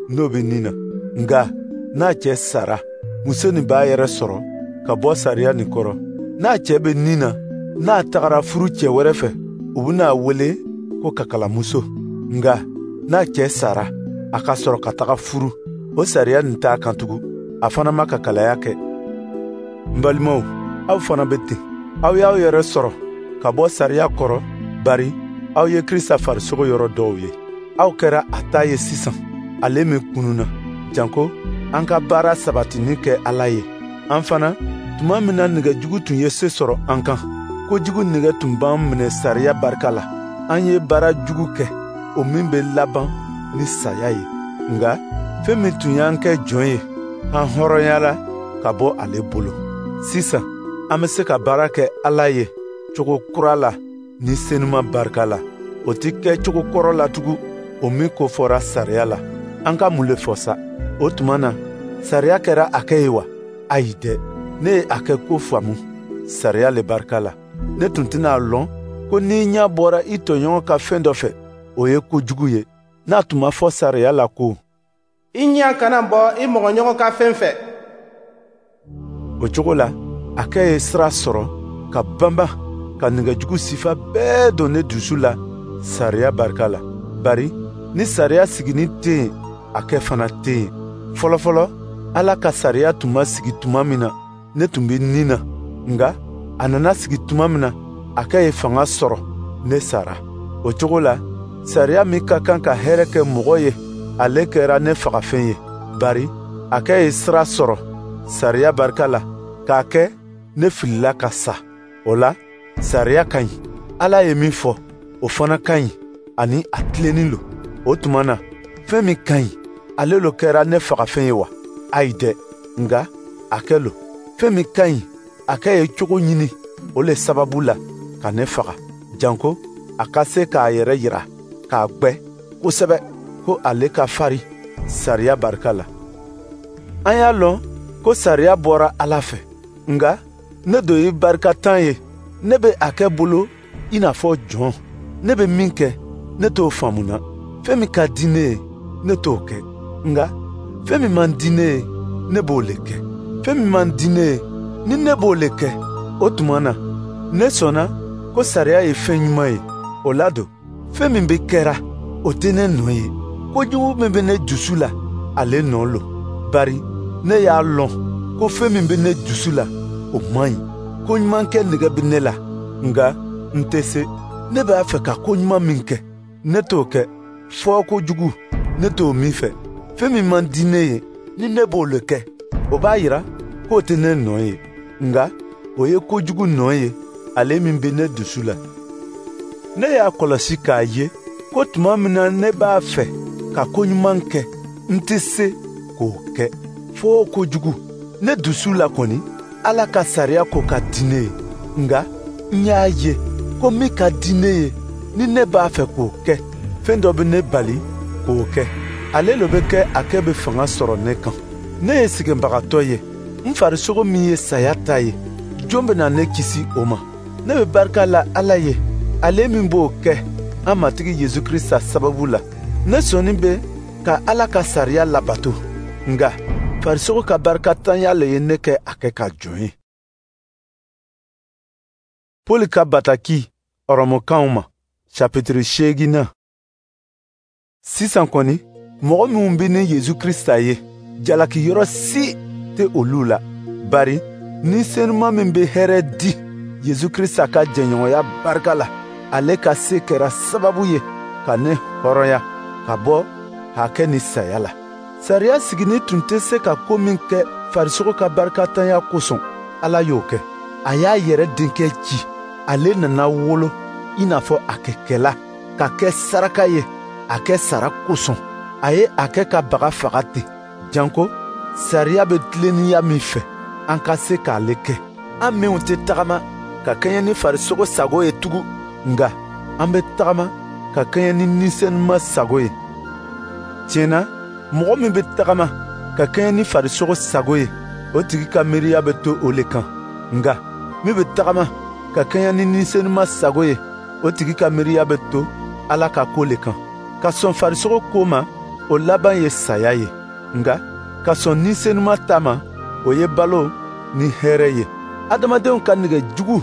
n'o bɛ nin na. Nka n'a cɛ sara, muso nin b'a yɛrɛ sɔrɔ ka bɔ sariya nin kɔrɔ. N'a cɛ bɛ nin na, n'a tagara furu cɛ wɛrɛ fɛ, u bɛna a wele ko kakalamuso. Nka n'a cɛ sara, a ka sɔrɔ ka taga furu, o sariya nin t'a kan tugun. A fana ma kakalaya kɛ. N balimaw, aw fana bɛ ten. Aw y'aw yɛrɛ sɔrɔ ka bɔ sariya kɔrɔ, bari aw ye Krista farisogo yɔrɔ dɔw ye. Aw kɛra a ta ye sisan, ale min kununna, janko an ka baara sabatini kɛ Ala ye. An fana, tuma min na nɛgɛjugu tun ye se sɔrɔ an kan, kojugu nɛgɛ tun b'an minɛ sariya barika la. An ye baara jugu kɛ, o min bɛ laban ni saya ye. Nka fɛn min tun y'an kɛ jɔn ye, an hɔrɔnyala ka bɔ ale bolo. Sisan an bɛ se ka baara kɛ Ala ye cogo kura la ni senuma barika la. O tɛ kɛ cogo kɔrɔ la tugun, o min ko fɔra sariya la. An ka mun le fɔ sa? O tuma na, sariya kɛra a kɛ ye wa? Ayi dɛ, ne ye a kɛ ko faamu sariya le barika la. Ne tun tɛna a lɔn ko n'i ɲɛ bɔra i tɔɲɔgɔn ka fɛn dɔ fɛ, o ye kojugu ye. N'a tun ma fɔ sariya la ko i ɲɛ kana bɔ i mɔgɔɲɔgɔn ka fɛn fɛ. O cogo la, a kɛ ye sira sɔrɔ ka banba ka nɛgɛjugu sifa bɛɛ don ne dusu la sariya barika la. Bari ni sariya sigini tɛ yen, a kɛ fana tɛ yen. Fɔlɔfɔlɔ, Ala ka sariya tun ma sigi tuma min na, ne tun bɛ nin na. Nka a nana sigi tuma min na, a kɛ ye fanga sɔrɔ, ne sara. O cogo la, sariya min ka kan ka hɛrɛ kɛ mɔgɔ ye, ale kɛra ne fagafɛn ye. Bari a kɛ ye sira sɔrɔ sariya barika la, k'a kɛ ne filila ka sa. O la, sariya ka ɲi. Ala ye min fɔ, o fana ka ɲi, ani a tilennin lo. O tuma na, fɛn min ka ɲi, ale lo kɛra ne fagafɛn ye wa? Ayi dɛ, nka a kɛ lo. Fɛn min ka ɲi, a kɛ ye cogo ɲini o le sababu la ka ne faga, janko a ka se k'a yɛrɛ yira k'a gwɛ kosɛbɛ ko ale ka fari sariya barika la. An y'a lɔn ko sariya bɔra Ala fɛ, nka ne do ye barikatan ye. Ne bɛ a kɛ bolo i n'a fɔ jɔn. Ne bɛ min kɛ, ne t'o faamuna. Fɛn min ka di ne ye, ne t'o kɛ. Nka fɛn min man di ne ye, ne b'o le kɛ. Fɛn min man di ne ye, ni ne b'o le kɛ, o tuma na, ne sɔnna ko sariya ye fɛn ɲuman ye. O la don, fɛn min bɛ kɛra, o tɛ ne nɔ ye. Kojugu min bɛ ne dusu la, ale nɔ lo. Bari ne y'a lɔn ko fɛn min bɛ ne dusu la, o man ɲi. Ko ɲuman kɛ nɛgɛ bɛ ne la, nka n tɛ se. Ne b'a fɛ ka ko ɲuman min kɛ, ne t'o kɛ. Fɔ kojugu, ne t'o min fɛ. Fɛn min man di ne ye, ni ne b'o le kɛ, o b'a yira k'o tɛ ne nɔ ye. Nka o ye kojugu nɔ ye, ale min bɛ ne dusu la. Ne y'a kɔlɔsi k'a ye ko tuma min na ne b'a fɛ ka ko ɲuman kɛ, n tɛ se k'o kɛ, fo ko jugu. Ne dusu la kɔni, Ala ka sariya ko ka di ne ye. Nka n y'a ye ko min ka di ne ye, ni ne b'a fɛ k'o kɛ, fɛn dɔ bɛ ne bali k'o kɛ. Ale le bɛ kɛ a kɛ bɛ fanga sɔrɔ ne kan. Ne ye sɛgɛnbagatɔ ye. N farisogo min ye saya ta ye, jɔn bɛna ne kisi o ma? Ne bɛ barika la Ala ye, ale min b'o kɛ an Matigi Yesu Krisita sababu la. Ne sɔnnin bɛ ka Ala ka sariya labato, nka farisogo ka barikantanya le ye ne kɛ a kɛ ka jɔn ye. Pɔli ka bataki Ɔrɔmukanw ma, chapitre seeginnan. Sisan kɔni, mɔgɔ minnu bɛ ni Yesu Krisita ye, jalakiyɔrɔ si tɛ olu la. Bari ni senuma min bɛ hɛrɛ di Yesu Krisita ka jɛɲɔgɔnya barika la, ale ka se kɛra sababu ye ka ne hɔrɔnya ka bɔ hakɛ ni saya la. Sariya sigini tun tɛ se ka ko min kɛ farisogo ka barikantanya kosɔn, Ala y'o kɛ. A y'a yɛrɛ denkɛ ci, ale nana wolo i n'a fɔ a kɛkɛla, ka kɛ saraka ye a kɛ sara kosɔn. A ye a kɛ ka baga faga ten, janko sariya bɛ tilennenya min fɛ, an ka se k'ale kɛ. An minnu tɛ tagama ka kɛɲɛ ni farisogo sago ye tugun, nka an bɛ tagama ka kɛɲɛ ni Ni Senuma sago ye. Tiɲɛ na, mɔgɔ min bɛ tagama ka kɛɲɛ ni farisogo sago ye, o tigi ka miiriya bɛ to o le kan. Nka min bɛ tagama ka kɛɲɛ ni Ni Senuma sago ye, o tigi ka miiriya bɛ to Ala ka ko le kan. Ka sɔn farisogo ko ma, o laban ye saya ye. Nka ka sɔn Ni Senuma ta ma, o ye balo ni hɛrɛ ye. Adamadenw ka nɛgɛ jugu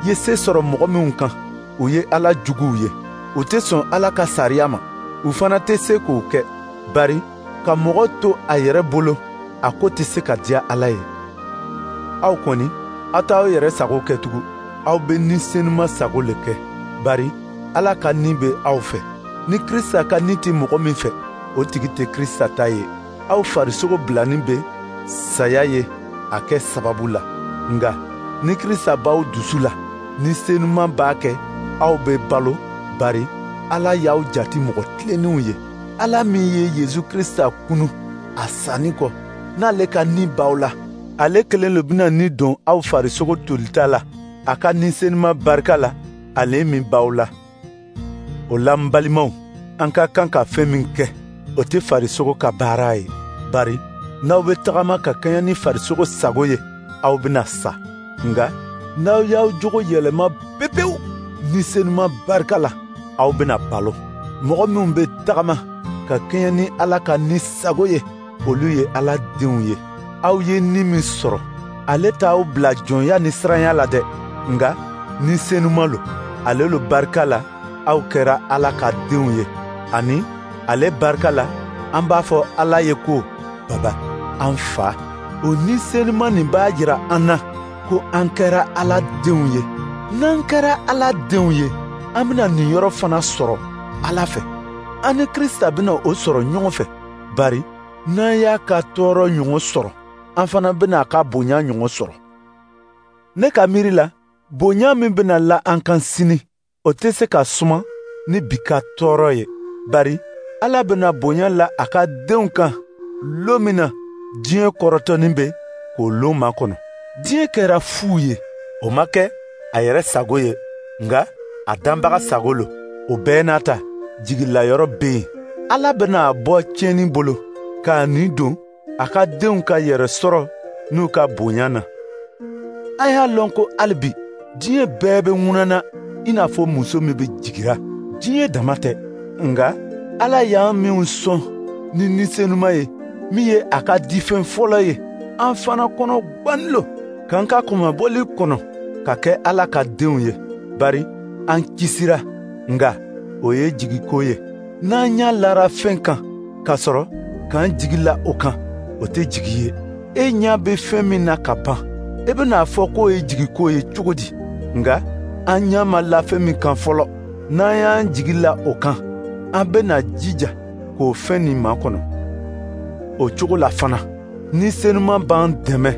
ye se sɔrɔ mɔgɔ minnu kan, u ye Ala juguw ye. U tɛ sɔn Ala ka sariya ma, u fana tɛ se k'o kɛ. Bari ka mɔgɔ to a yɛrɛ bolo, a ko tɛ se ka diya Ala ye. Aw kɔni, aw t'aw yɛrɛ sago kɛ tugun, aw bɛ Ni Senuma sago le kɛ. Bari Ala ka Ni bɛ aw fɛ. Ni Krisita ka Ni tɛ mɔgɔ min fɛ, o tigi tɛ Krisita ta ye. Aw farisogo bilanin bɛ saya ye a kɛ sababu la. Nka ni Krisita b'aw dusu la, Ni Senuma b'a kɛ aw bɛ balo, bari Ala y'aw jate mɔgɔ tilennenw ye. Ala min ye Yesu Krisita kunu a sanni kɔ, n'ale ka Ni b'aw la, ale kelen le bɛna ni don aw farisogo tolita la, a ka Ni Senuma barika la, ale min b'aw la. O la, n balimaw, an ka kan ka fɛn min kɛ, o tɛ farisogo ka baara ye. Bari n'aw bɛ tagama ka kɛɲɛ ni farisogo sago ye, aw bɛna sa. Nka n'aw y'aw jogo yɛlɛma pepewu Ni Senuma barika la, aw bɛna balo. Mɔgɔ minnu bɛ tagama ka kɛɲɛ ni Ala ka Ni sago ye, olu ye Ala denw ye. Aw ye Ni min sɔrɔ, ale t'aw bila jɔnya ni siranya la dɛ, nka Ni Senuma lo. Ale lo barika la aw kɛra Ala ka denw ye, ani ale barika la an b'a fɔ Ala ye ko Baba, an Fa. O Ni Senuma nin b'a jira an na ko an kɛra Ala denw ye. N'an kɛra Ala denw ye, an bɛna nin yɔrɔ fana sɔrɔ Ala fɛ. An ni Krisita bɛna o sɔrɔ ɲɔgɔn fɛ, bari n'an y'a ka tɔɔrɔ ɲɔgɔn sɔrɔ, an fana bɛna a ka bonya ɲɔgɔn sɔrɔ. Ne ka miiri la, bonya min bɛna la an kan sini, o tɛ se ka suma ni bi ka tɔɔrɔ ye. Bari Ala bɛna bonya la a ka denw kan lon min na diɲɛ kɔrɔtɔnin bɛ k'o lon makɔnɔ. Diɲɛ kɛra fu ye, o ma kɛ a yɛrɛ sago ye, nka a danbaga sago lo. O bɛɛ n'a ta, jigilayɔrɔ bɛ yen. Ala bɛna a bɔ tiɲɛni bolo k'a nin don a ka denw ka yɛrɛ sɔrɔ n'u ka bonya na. An y'a lɔn ko hali bi diɲɛ bɛɛ bɛ ŋunana i n'a fɔ muso min bɛ jigira. Diɲɛ dama tɛ, nka Ala y'an minnu sɔn ni Ni Senuma ye, min ye a ka difɛn fɔlɔ ye, an fana kɔnɔ gwanin lo k'an ka kunmabɔli kɔnɔ ka kɛ Ala ka denw ye. Bari an kisira, nka o ye jigiko ye. N'an ɲa lara fɛn kan k'a sɔrɔ k'an jigi la o kan, o tɛ jigi ye. E ɲa bɛ fɛn min na ka ban, e bɛna a fɔ k'o ye jigiko ye cogo di? Nka an ɲa ma la fɛn min kan fɔlɔ, n'an y'an jigi la o kan, an bɛna jija k'o fɛn nin makɔnɔ. O cogo la fana, Ni Senuma b'an dɛmɛ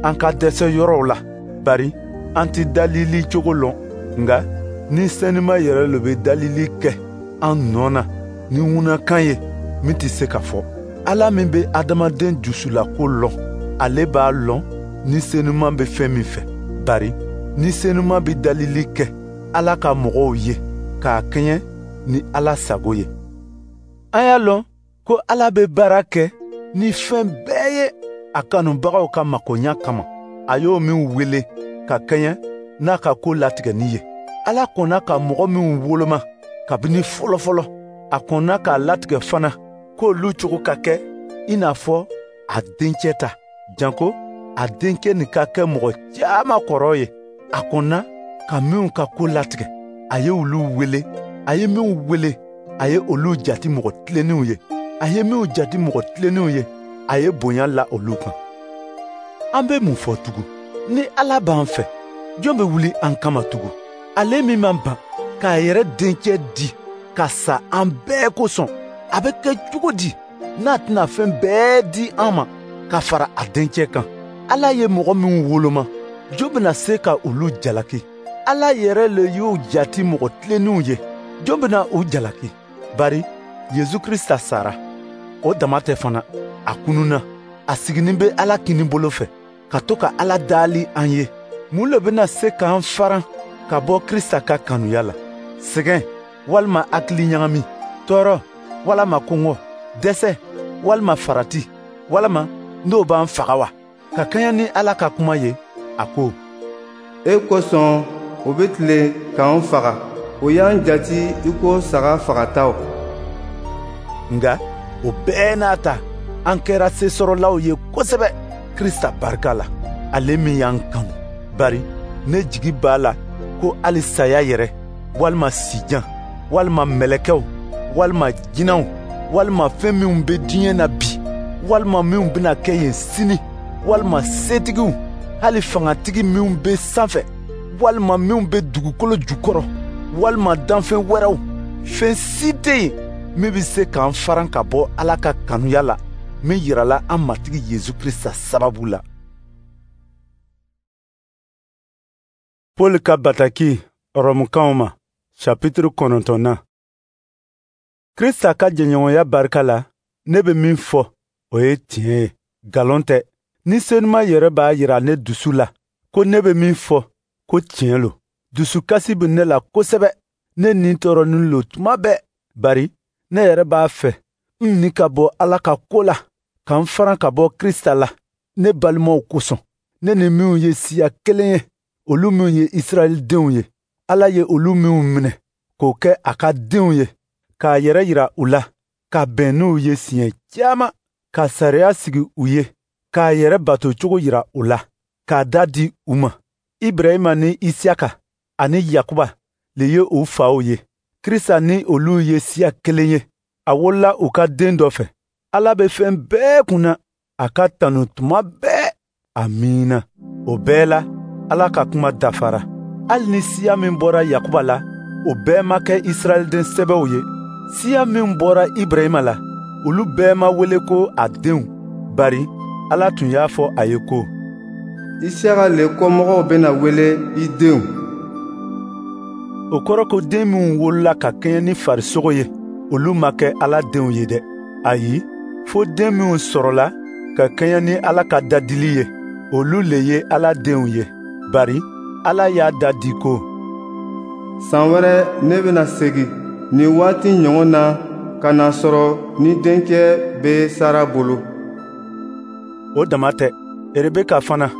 an ka dɛsɛ yɔrɔw la, bari an tɛ dalili cogo lɔn. Nka Ni Senuma yɛrɛ le bɛ dalili kɛ an nɔ na ni ŋunakan ye min tɛ se ka fɔ. Ala min bɛ adamaden dusulako lɔn, ale b'a lɔn Ni Senuman bɛ fɛn min fɛ. Bari Ni Senuman bɛ dalili kɛ Ala ka mɔgɔw ye k'a kɛɲɛ ni Ala sago ye. An y'a lɔn ko Ala bɛ baara kɛ ni fɛn bɛɛ ye a kanubagaw ka makoɲa kama, a y'o min wele ka kɛɲɛ n'a ka ko latigɛni ye. Ala kɔnna ka mɔgɔ minw woloma kabini fɔlɔfɔlɔ, a kɔnna k'a latigɛ fana k'olu cogo ka kɛ i n'a fɔ a dencɛ ta, janko a dencɛ nin ka kɛ mɔgɔ caman kɔrɔ ye. A kɔnna ka minw ka ko latigɛ, a ye olu wele. A ye minw wele, a ye olu jati mɔgɔ tilennenw ye. A ye minw jati mɔgɔ tilennenw ye, a ye bonya la olu kan. An bɛ mun fɔ tugun? Ni Ala b'an fɛ, jɔn bɛ wuli an kama tugun? Ale min man ban k'a yɛrɛ dencɛ di ka sa an bɛɛ kosɔn, a bɛ kɛ cogo di n'a tɛna fɛn bɛɛ di an ma ka fara a dencɛ kan? Ala ye mɔgɔ minw woloma, jɔn bɛna se ka olu jalaki? Ala yɛrɛ le y'u jati mɔgɔ tilennenw ye, jɔn bɛna u jalaki? Bari Yezu Krista sara, o dama tɛ fana, a kununna, a siginin bɛ Ala kinibolo fɛ, ka to ka Ala dali an ye. Mun le bɛna se k'an faran ka bɔ Krista ka kanuya la? Sɛgɛn walima hakili ɲagami, tɔɔrɔ walima kɔngɔ, dɛsɛ walima farati, walima n'o b'an faga wa? Ka kɛɲɛ ni Ala ka kuma ye, a ko: E kosɔn o bɛ tilen k'an faga, o y'an jati i ko saga fagataw. Nka o bɛɛ n'a ta, an kɛra sesɔrɔlaw ye kosɛbɛ Krista barika la, ale min y'an kanu. Bari ne jigi b'a la ko hali saya yɛrɛ, walima sijan, walima mɛlɛkɛw, walima jinɛw, walima fɛn minw bɛ diɲɛ na bi, walima minw bɛna kɛ yen sini, walima setigiw, hali fangatigi minw bɛ sanfɛ, walima minw bɛ dugukolo jukɔrɔ, walima danfɛn wɛrɛw, fɛn si tɛ yen min bɛ se k'an faran ka bɔ Ala ka kanuya la min yirala an Matigi Yezu Krista sababu la. Paul ka bataki Rɔmukanw ma, chapitre kɔnɔntɔnnan. Krista ka jɛɲɔgɔnya barika la, ne bɛ min fɔ, o ye tiɲɛ ye, nkalon tɛ. Ni Senuma yɛrɛ b'a yira ne dusu la ko ne bɛ min fɔ, ko tiɲɛ lo. Dusukasi bɛ ne la kosɛbɛ, ne ni tɔɔrɔnin lo tuma bɛɛ, bari ne yɛrɛ b'a fɛ n ni ka bɔ Ala ka ko la, ka n faran ka bɔ Krista la, ne balimaw kosɔn. Ne ni minw ye siya kelen ye, olu minw ye Israɛl denw ye, Ala ye olu minw minɛ k'o kɛ a ka denw ye, k'a yɛrɛ yira u la, ka bɛn n'u ye siɲɛ caman, ka sariya sigi u ye, k'a yɛrɛ bato cogo yira u la, k'a da di u ma. Ibrahima ni Isiyaka ani Yakuba le ye u faw ye. Krista ni olu ye siya kelen ye, a wolola u ka den dɔ fɛ. Ala bɛ fɛn bɛɛ kunna, a ka tanu tuma bɛɛ. Amiina. O bɛɛ la, Ala ka kuma dafara. Hali ni siya min bɔra Yakuba la, o bɛɛ ma kɛ Israɛlden sɛbɛw ye. Siya min bɔra Ibrahima la, olu bɛɛ ma wele ko a denw. Bari Ala tun y'a fɔ a ye ko: Isiyaka le kɔmɔgɔw bɛna wele i denw. O kɔrɔ ko den minw wolola ka kɛɲɛ ni farisogo ye, olu ma kɛ Ala denw ye dɛ. Ayi, fo den minw sɔrɔla ka kɛɲɛ ni Ala ka dadili ye, olu le ye Ala denw ye. Bari Ala y'a da di ko: San wɛrɛ ne bɛna segin nin waati ɲɔgɔn na ka n'a sɔrɔ ni denkɛ bɛ Sara bolo. O dama tɛ, Rebeka fana,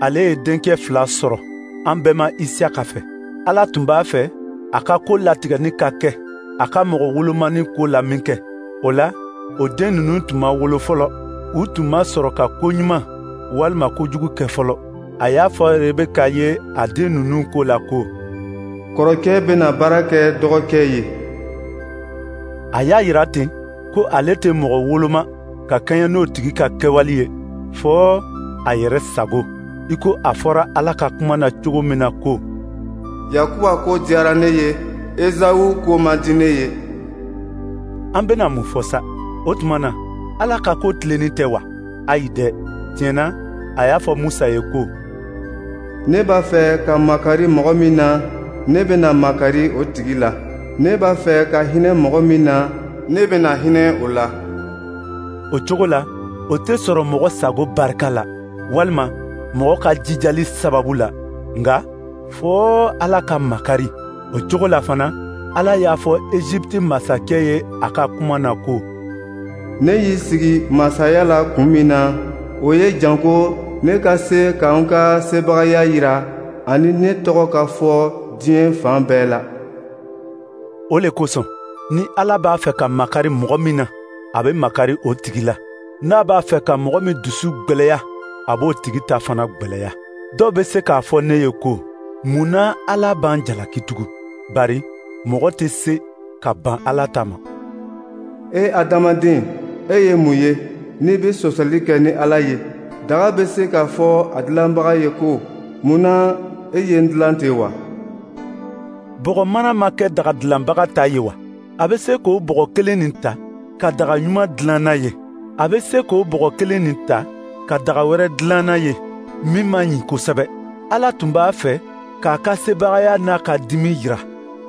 ale ye denkɛ fila sɔrɔ an bɛma Isiyaka fɛ. Ala tun b'a fɛ a ka ko latigɛni ka kɛ a ka mɔgɔ wolomani ko la minkɛ, o la, o den ninnu tun ma wolo fɔlɔ, u tun ma sɔrɔ ka ko ɲuman walima kojugu kɛ fɔlɔ. A y'a fɔ Rebeka ye a den ninnu ko la ko: Kɔrɔkɛ bɛna baara kɛ dɔgɔkɛ ye. A y'a yira ten ko ale tɛ mɔgɔ woloma ka kɛɲɛ n'o tigi ka kɛwale ye, fɔɔ a yɛrɛ sago, i ko a fɔra Ala ka kuma na cogo min na ko: Yakuba ko diyara ne ye, Ezawu ko man di ne ye. An bɛna mun fɔ sa? O tuma na, Ala ka ko tilennen tɛ wa? Ayi dɛ! Tiɲɛ na, a y'a fɔ Musa ye ko: Ne b'a fɛ ka makari mɔgɔ min na, ne bɛna makari o tigi la. Ne b'a fɛ ka hinɛ mɔgɔ min na, ne bɛna hinɛ o la. O cogo la, o tɛ sɔrɔ mɔgɔ sago barika la, walima mɔgɔ ka jijali sababu la, nka fɔɔ Ala ka makari. O cogo la fana, Ala y'a fɔ Egypte masakɛ ye a ka kuma na ko: Ne y'i sigi masaya la kun min na, o ye janko ne ka se ka n ka sebagaya yira ani ne tɔgɔ ka fɔ diɲɛ fan bɛɛ la. O le kosɔn, ni Ala b'a fɛ ka makari mɔgɔ min na, a bɛ makari o tigi la. N'a b'a fɛ ka mɔgɔ min dusu gwɛlɛya, a b'o tigi ta fana gwɛlɛya. Dɔw bɛ se k'a fɔ ne ye ko: mun na Ala b'an jalaki tugun? Bari mɔgɔ tɛ se ka ban Ala ta ma. E adamaden, e ye mun ye n'i bɛ sɔsɔli kɛ ni Ala ye? Daga bɛ se k'a fɔ a dilanbaga ye ko: mun na e ye n dilan ten wa? Bɔgɔ mana ma kɛ daga dilanbaga ta ye wa? A bɛ se k'o bɔgɔ kelen nin ta ka daga ɲuman dilan n'a ye. A bɛ se k'o bɔgɔ kelen nin ta ka daga wɛrɛ dilan n'a ye min man ɲi kosɛbɛ. Ala tun b'a fɛ k'a ka sebagaya n'a ka dimi yira,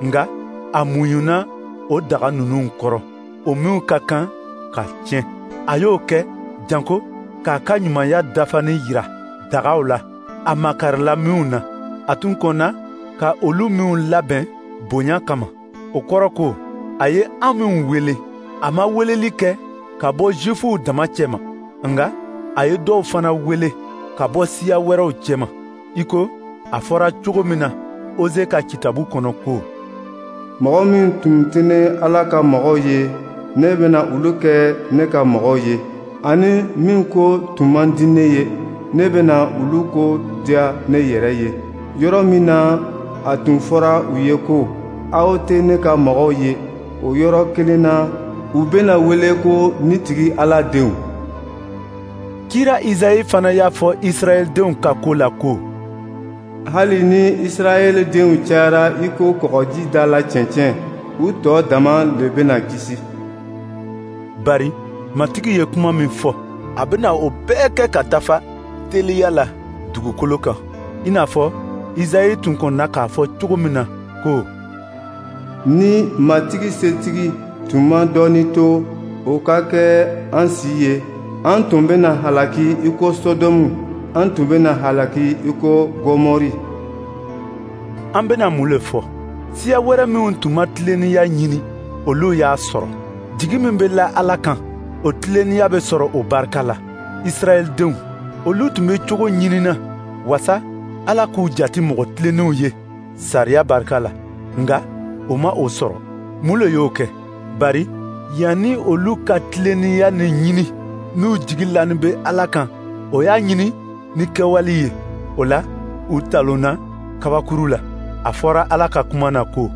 nka a muɲuna o daga ninnu kɔrɔ, o minw ka kan ka tiɲɛ. A y'o kɛ janko k'a ka ɲumanya dafani yira dagaw la, a makarila minw na. A tun kɔnna ka olu minw labɛn bonya kama. O kɔrɔ ko a ye an minw wele, a ma weleli kɛ ka bɔ Jufuw dama cɛma, nka a ye dɔw fana wele ka bɔ siya wɛrɛw cɛma, i ko a fɔra cogo min na Oze ka kitabu kɔnɔ ko: Mɔgɔ min tun tɛ ne Ala ka mɔgɔw ye, ne bɛna olu kɛ ne ka mɔgɔw ye, ani min ko tun man di ne ye, ne bɛna olu ko diya ne yɛrɛ ye. Yɔrɔ min na a tun fɔra u ye ko: aw tɛ ne ka mɔgɔw ye, o yɔrɔ kelen na, u bɛna wele ko ne tigi Ala denw. Kira Izayi fana y'a fɔ Israɛldenw ka ko la ko: Hali ni Israɛldenw cayara i ko kɔgɔji da la cɛncɛn, u tɔ dama le bɛna kisi. Bari Matigi ye kuma min fɔ, a bɛna o bɛɛ kɛ ka dafa teliya la dugukolo kan, i n'a fɔ Izayi tun kɔnna k'a fɔ cogo min na ko: Ni Matigi setigi tun ma dɔɔnin to o ka kɛ an si ye, an tun bɛna halaki i ko Sodɔmu, an tun bɛna halaki i ko Gɔmɔri. An bɛna mun le fɔ? Siya wɛrɛ minw tun ma tilennenya ɲini, olu y'a sɔrɔ. Jigi min bɛ la Ala kan, o tilennenya bɛ sɔrɔ o barika la. Israɛldenw, olu tun bɛ cogo ɲinina wasa Ala k'u jate mɔgɔ tilennenw ye sariya barika la, nka o ma o sɔrɔ. Mun le y'o kɛ? Bari yanni olu ka tilennenya nin ɲini n'u jigi lanin bɛ Ala kan, o y'a ɲini ni kɛwali ye. O la, u talonna kabakuru la. A fɔra Ala ka kuma na ko: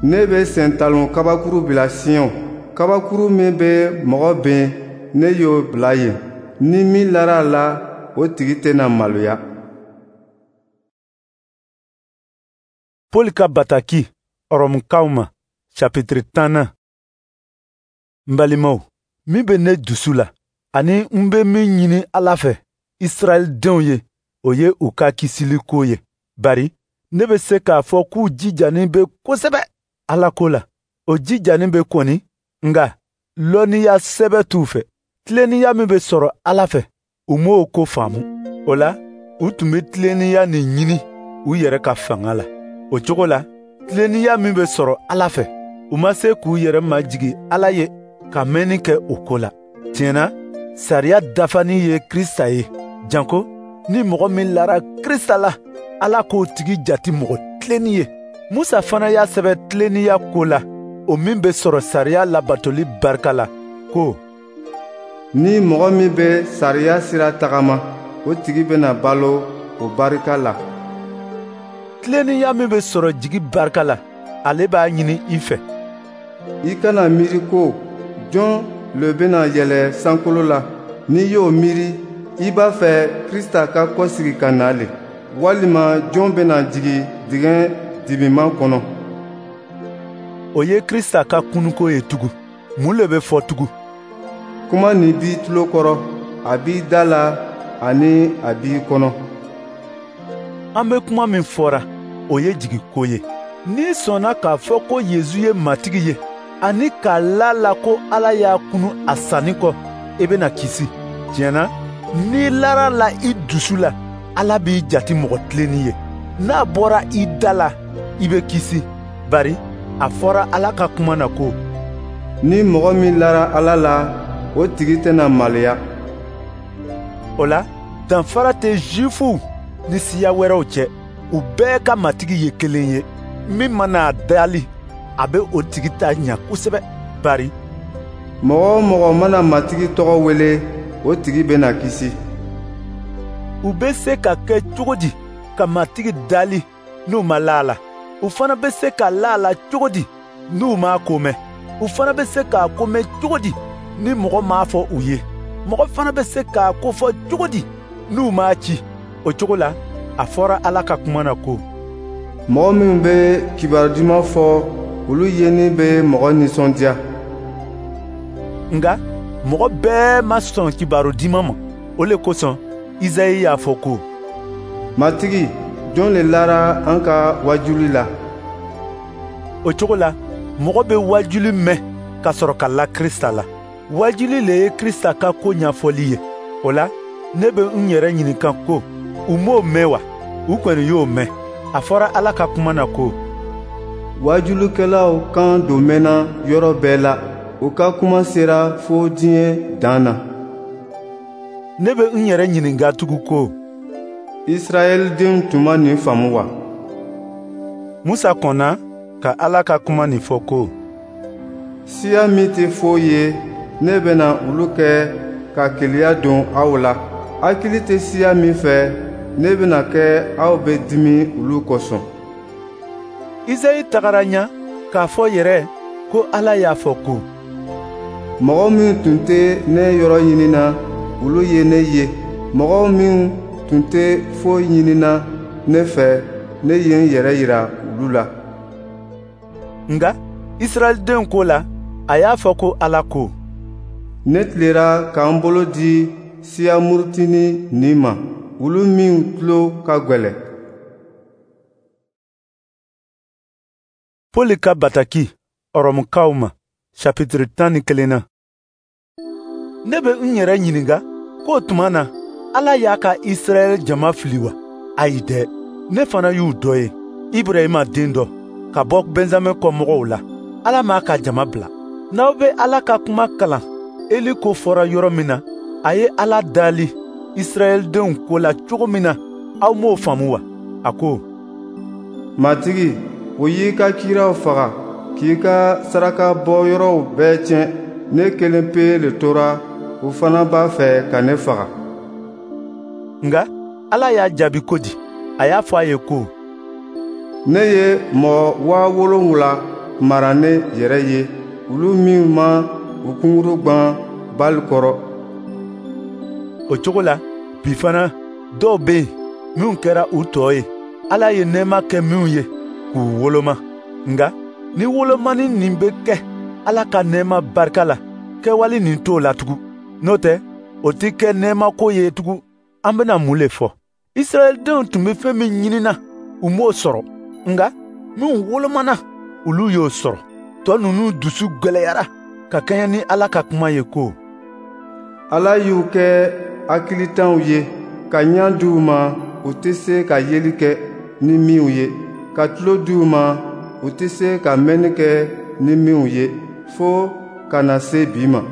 Ne bɛ sentalon kabakuru bila Sion, kabakuru min bɛ mɔgɔ ben, ne y'o bila yen. Ni min lara a la, o tigi tɛna maloya. Paul ka bataki Ɔrɔmukaw ma, chapitre tannan. N balimaw, min bɛ ne dusu la, ani n bɛ min ɲini Ala fɛ Israɛldenw ye, o ye u ka kisiliko ye. Bari ne bɛ se k'a fɔ k'u jijanin bɛ kosɛbɛ Ala ko la. O jijanin bɛ kɔni, nka lɔnniya sɛbɛ t'u fɛ. Tilennenya min bɛ sɔrɔ Ala fɛ, u m'o ko faamu. O la, u tun bɛ tilennenya nin ɲini u yɛrɛ ka fanga la. O cogo la, tilennenya min bɛ sɔrɔ Ala fɛ, u ma se k'u yɛrɛ majigin Ala ye ka mɛnni kɛ o ko la. Tiɲɛ na, sariya dafani ye Krista ye, janko ni mɔgɔ min lara Krista la, Ala k'o tigi jate mɔgɔ tilenni ye. Musa fana y'a sɛbɛn tilennenya ko la, o min bɛ sɔrɔ sariya labatoli barika la, ko: Ni mɔgɔ min bɛ sariya sira tagama, o tigi bɛna balo o barika la. Tilennenya min bɛ sɔrɔ jigi barika la, ale b'a ɲini i fɛ. I kana miiri ko jɔn le bɛna yɛlɛ sankolo la. N'i y'o miiri, i b'a fɛ Krista ka kɔsigi ka na le, walima jɔn bɛna jigin dingɛ dibiman kɔnɔ. O ye Krista ka kunuko ye tugun. Mun le bɛ fɔ tugun? Kuma nin b'i tulo kɔrɔ, a b'i da la ani a b'i kɔnɔ. An bɛ kuma min fɔra, o ye jigiko ye. N'i sɔnna k'a fɔ ko Yezu ye Matigi ye, ani k'a la la ko Ala y'a kunu a sanni kɔ, i bɛna kisi. Tiɲɛ na, n'i lara a la i dusu la, Ala b'i jate mɔgɔ tilennen ye. N'a bɔra i da la, i bɛ kisi. Bari a fɔra Ala ka kuma na ko: Ni mɔgɔ min lara Ala la, o tigi tɛna maloya. O la, danfara tɛ Zifuw ni siya wɛrɛw cɛ. U bɛɛ ka Matigi ye kelen ye. Min mana a dali, a bɛ o tigi ta ɲa kosɛbɛ. Bari mɔgɔ o mɔgɔ mana Matigi tɔgɔ wele, o tigi bɛna kisi. U bɛ se ka kɛ cogo di ka Matigi dali n'u ma la a la? U fana bɛ se ka la a la cogo di n'u m'a ko mɛn? U fana bɛ se k'a ko mɛn cogo di ni mɔgɔ m'a fɔ u ye? Mɔgɔ fana bɛ se k'a ko fɔ cogo di n'u m'a ci? O cogo la, a fɔra Ala ka kuma na ko: Mɔgɔ minnu bɛ kibaru duman fɔ, olu yeni bɛ mɔgɔ nisɔndiya. Nka mɔgɔ bɛɛ ma sɔn kibaru duman ma. O le kosɔn, Izayi y'a fɔ ko: Matigi, jɔn le lara an ka wajuli la? O cogo la, mɔgɔ bɛ wajuli mɛn ka sɔrɔ ka la Krista la. Wajuli le ye Krista ka ko ɲɛfɔli ye. O la, ne bɛ n yɛrɛ ɲininka ko, u m'o mɛn wa? U kɔni y'o mɛn. A fɔra Ala ka kuma na ko: Wajulikɛlaw kan don mɛnna yɔrɔ bɛɛ la, u ka kuma sera fo diɲɛ dan na. Ne bɛ n yɛrɛ ɲininka tugun ko: Israɛl denw tun ma nin faamu wa? Musa kɔnna ka Ala ka kuma nin fɔ ko: Siya min tɛ foyi ye, ne bɛna olu kɛ ka keleya don aw la. Hakili tɛ siya min fɛ, ne bɛna kɛ aw bɛ dimi olu kosɔn. Izayi tagara ɲa k'a fɔ yɛrɛ ko Ala y'a fɔ ko: Mɔgɔ minnu tun tɛ ne yɔrɔ ɲinina, olu ye ne ye. Mɔgɔ minnu tun tɛ foyi ɲinina ne fɛ, ne ye n yɛrɛ yira olu la. Nka Israɛldenw ko la, a y'a fɔ ko Ala ko: Ne tilera ka n bolo di siya murutini nin ma, olu minnu tulo ka gwɛlɛn. Pɔli ka bataki Ɔrɔmukaw ma, chapitre tan ni kelen na. Ne bɛ n yɛrɛ ɲininka k'o tuma na, Ala y'a ka Israɛl jama fili wa? Ayi dɛ, ne fana y'u dɔ ye, Ibrahima den dɔ, ka bɔ Benjamin kɔmɔgɔw la. Ala m'a ka jama bila. N'aw bɛ Ala ka kuma kalan, Eli ko fɔra yɔrɔ min na, a ye Ala dali Israɛldenw ko la cogo min na, aw m'o faamu wa? A ko: Matigi, o y'i ka kiraw faga, k'i ka saraka bɔ yɔrɔw bɛɛ tiɲɛ. Ne kelen pe le tora, o fana b'a fɛ ka ne faga. Nka Ala y'a jaabi ko di? A y'a fɔ a ye ko: Ne ye mɔgɔ waa wolonwula mara ne yɛrɛ ye, olu minnu ma u kunkuru gwan Bali kɔrɔ. O cogo la, bi fana, dɔw bɛ yen minnu kɛra u tɔ ye, Ala ye nɛɛma kɛ minnu ye k'u woloma. Nka ni wolomani nin bɛ kɛ Ala ka nɛɛma barika la, kɛwale nin t'o la tugun. N'o tɛ, o tɛ kɛ nɛɛmako ye tugun. An bɛna mun le fɔ? Israɛldenw tun bɛ fɛn min ɲinina, u m'o sɔrɔ. Nka minnu wolomana, olu y'o sɔrɔ. Tɔ ninnu dusu gwɛlɛyara ka kɛɲɛ ni Ala ka kuma ye ko: Ala y'u kɛ hakilitanw ye, ka ɲa di u ma, u tɛ se ka yeli kɛ ni minnu ye, ka tulo di u ma, u tɛ se ka mɛnni kɛ ni minnu ye, fo ka na se bi ma.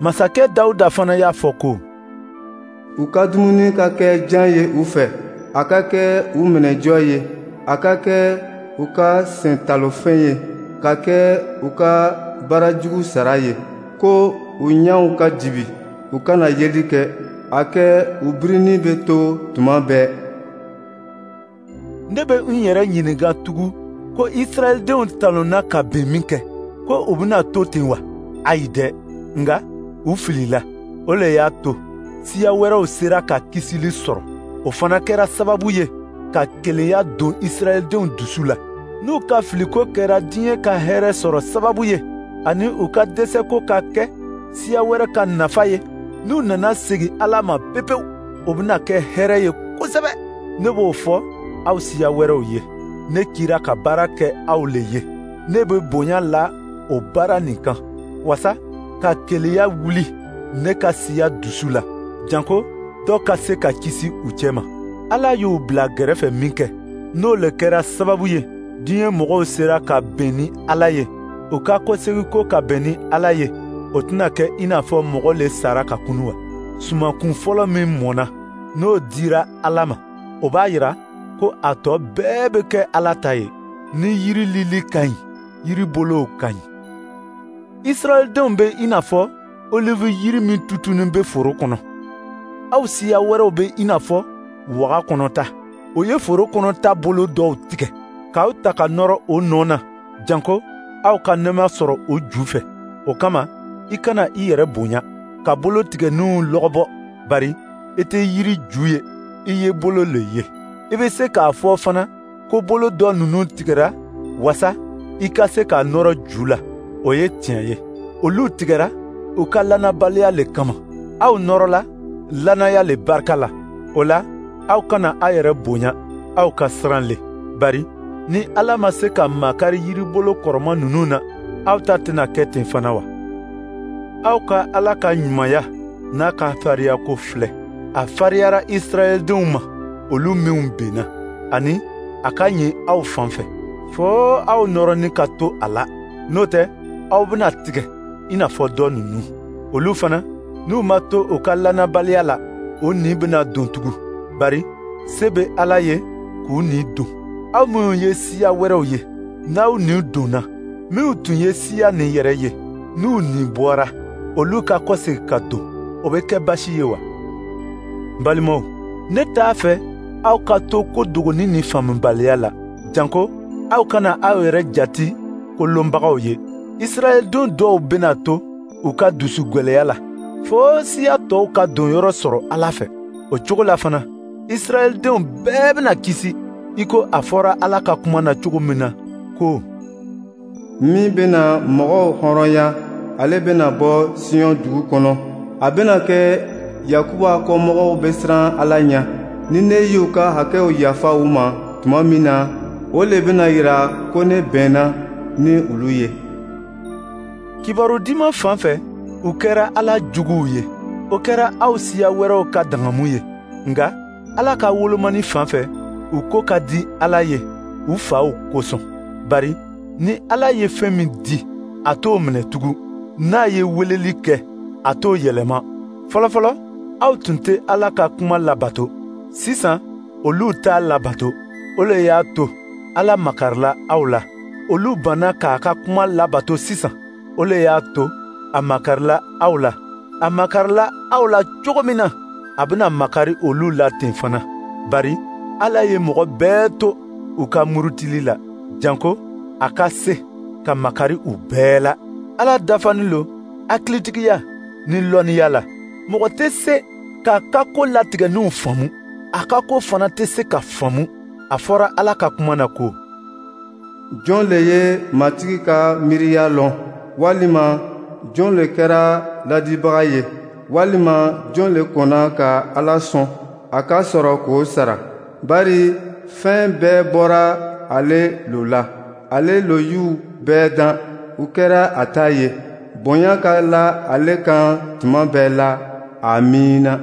Masakɛ Dawuda fana y'a fɔ ko: U ka dumuni ka kɛ jan ye u fɛ, a ka kɛ u minɛjɔ ye, a ka kɛ u ka sentalofɛn ye, ka kɛ u ka baarajugu sara ye, ko u ɲɛw ka dibi, u kana yeli kɛ, a kɛ u birinni bɛ to tuma bɛɛ. Ne bɛ n yɛrɛ ɲininka tugun ko Israɛldenw talonna ka bin min kɛ, ko u bɛna to ten wa? Ayi dɛ, nka u filila. O le y'a to siya wɛrɛw sera ka kisili sɔrɔ. O fana kɛra sababu ye ka kelenya don Israɛldenw dusu la. N'u ka filiko kɛra diɲɛ ka hɛrɛ sɔrɔ sababu ye, ani u ka dɛsɛko ka kɛ siya wɛrɛ ka nafa ye, n'u nana segin Ala ma pepewu, o bɛna kɛ hɛrɛ ye kosɛbɛ. Ne b'o fɔ aw siya wɛrɛw ye. Ne cira ka baara kɛ aw le ye. Ne bɛ bonya la o baara nin kan, wasa ka keleya wuli ne ka siya dusu la, janko dɔ ka se ka kisi u cɛma. Ala y'u bila gɛrɛfɛ minkɛ, n'o le kɛra sababu ye diɲɛ mɔgɔw sera ka bɛn ni Ala ye, u ka kɔsegiko ka bɛn ni Ala ye, o tɛna kɛ i n'a fɔ mɔgɔ le sara ka kunu wa? Sumankun fɔlɔ min mɔnna, n'o dira Ala ma, o b'a yira ko a tɔ bɛɛ bɛ kɛ Ala ta ye. Ni yiri lili ka ɲi, yiri bolow ka ɲi. Israɛldenw bɛ i n'a fɔ olive yiri min tutunnen bɛ foro kɔnɔ. Aw siya wɛrɛw bɛ i n'a fɔ waga kɔnɔta. O ye foro kɔnɔta bolo dɔw tigɛ k'aw ta ka nɔrɔ o nɔ na, janko aw ka nɛɛma sɔrɔ o ju fɛ. O kama, i kana i yɛrɛ bonya ka bolo tigɛninw lɔgɔbɔ, bari i tɛ yiri ju ye, i ye bolo le ye. I bɛ se k'a fɔ fana ko bolo dɔ ninnu tigɛra wasa i ka se ka nɔrɔ ju la. O ye tiɲɛ ye. Olu tigɛra u ka lannabaliya le kama. Aw nɔrɔla lannaya le barika la. O la, aw kana aw yɛrɛ bonya, aw ka siran le. Bari ni Ala ma se ka makari yiribolo kɔrɔma ninnu na, aw ta tɛna kɛ ten fana wa? Aw ka Ala ka ɲumanya n'a ka fariyako filɛ. A fariyara Israɛldenw ma, olu minw benna, ani a ka ɲi aw fan fɛ, fo aw nɔrɔnin ka to a la. N'o tɛ, aw bɛna tigɛ i n'a fɔ dɔ ninnu. Olu fana, n'u ma to u ka lannabaliya la, o ni bɛna don tugun, bari se bɛ Ala ye k'u ni don. Aw minnu ye siya wɛrɛw ye, n'aw ni donna, minnu tun ye siya nin yɛrɛ ye, n'u ni bɔra, olu ka kɔsegin ka don, o bɛ kɛ baasi ye wa? N balimaw, ne t'a fɛ aw ka to ko dogoni ni faamubaliya la, janko aw kana aw yɛrɛ jati kolonbagaw ye. Israɛldenw dɔw bɛna to u ka dusu gwɛlɛya la, fo siya tɔw ka donyɔrɔ sɔrɔ Ala fɛ. O cogo la fana, Israɛldenw bɛɛ bɛna kisi, i ko a fɔra Ala ka kuma na cogo min na ko: Min bɛna mɔgɔw hɔrɔnya, ale bɛna bɔ Sion dugu kɔnɔ. A bɛna kɛ Yakuba kɔmɔgɔw bɛ siran Ala ɲɛ. Ni ne y'u ka hakɛw yafa u ma tuma min na, o le bɛna yira ko ne bɛnna ni olu ye. Kibaru diman fan fɛ, u kɛra Ala juguw ye. O kɛra aw siya wɛrɛw ka dangamu ye. Nka Ala ka wolomani fan fɛ, u ko ka di Ala ye u faw kosɔn. Bari ni Ala ye fɛn min di, a t'o minɛ tugun. N'a ye weleli kɛ, a t'o yɛlɛma. Fɔlɔfɔlɔ, aw tun tɛ Ala ka kuma labato. Sisan, olu t'a labato. O le y'a to Ala makarila aw la. Olu banna k'a ka kuma labato sisan. O le y'a to a makarila aw la. A makarila aw la cogo min na, a bɛna makari olu la ten fana. Bari Ala ye mɔgɔ bɛɛ to u ka murutili la, janko a ka se ka makari u bɛɛ la. Ala dafanin lo hakilitigiya ni lɔnniya la. Mɔgɔ tɛ se k'a ka ko latigɛninw faamu. A ka ko fana tɛ se ka faamu. A fɔra Ala ka kuma na ko: Jɔn le ye Matigi ka miiriya lɔn? Walima jɔn le kɛra ladibaga ye? Walima jɔn le kɔnna ka Ala sɔn a ka sɔrɔ k'o sara? Bari fɛn bɛɛ bɔra ale lo la. Ale lo y'u bɛɛ dan, u kɛra a ta ye. Bonya ka la ale kan tuma bɛɛ la. Amiina.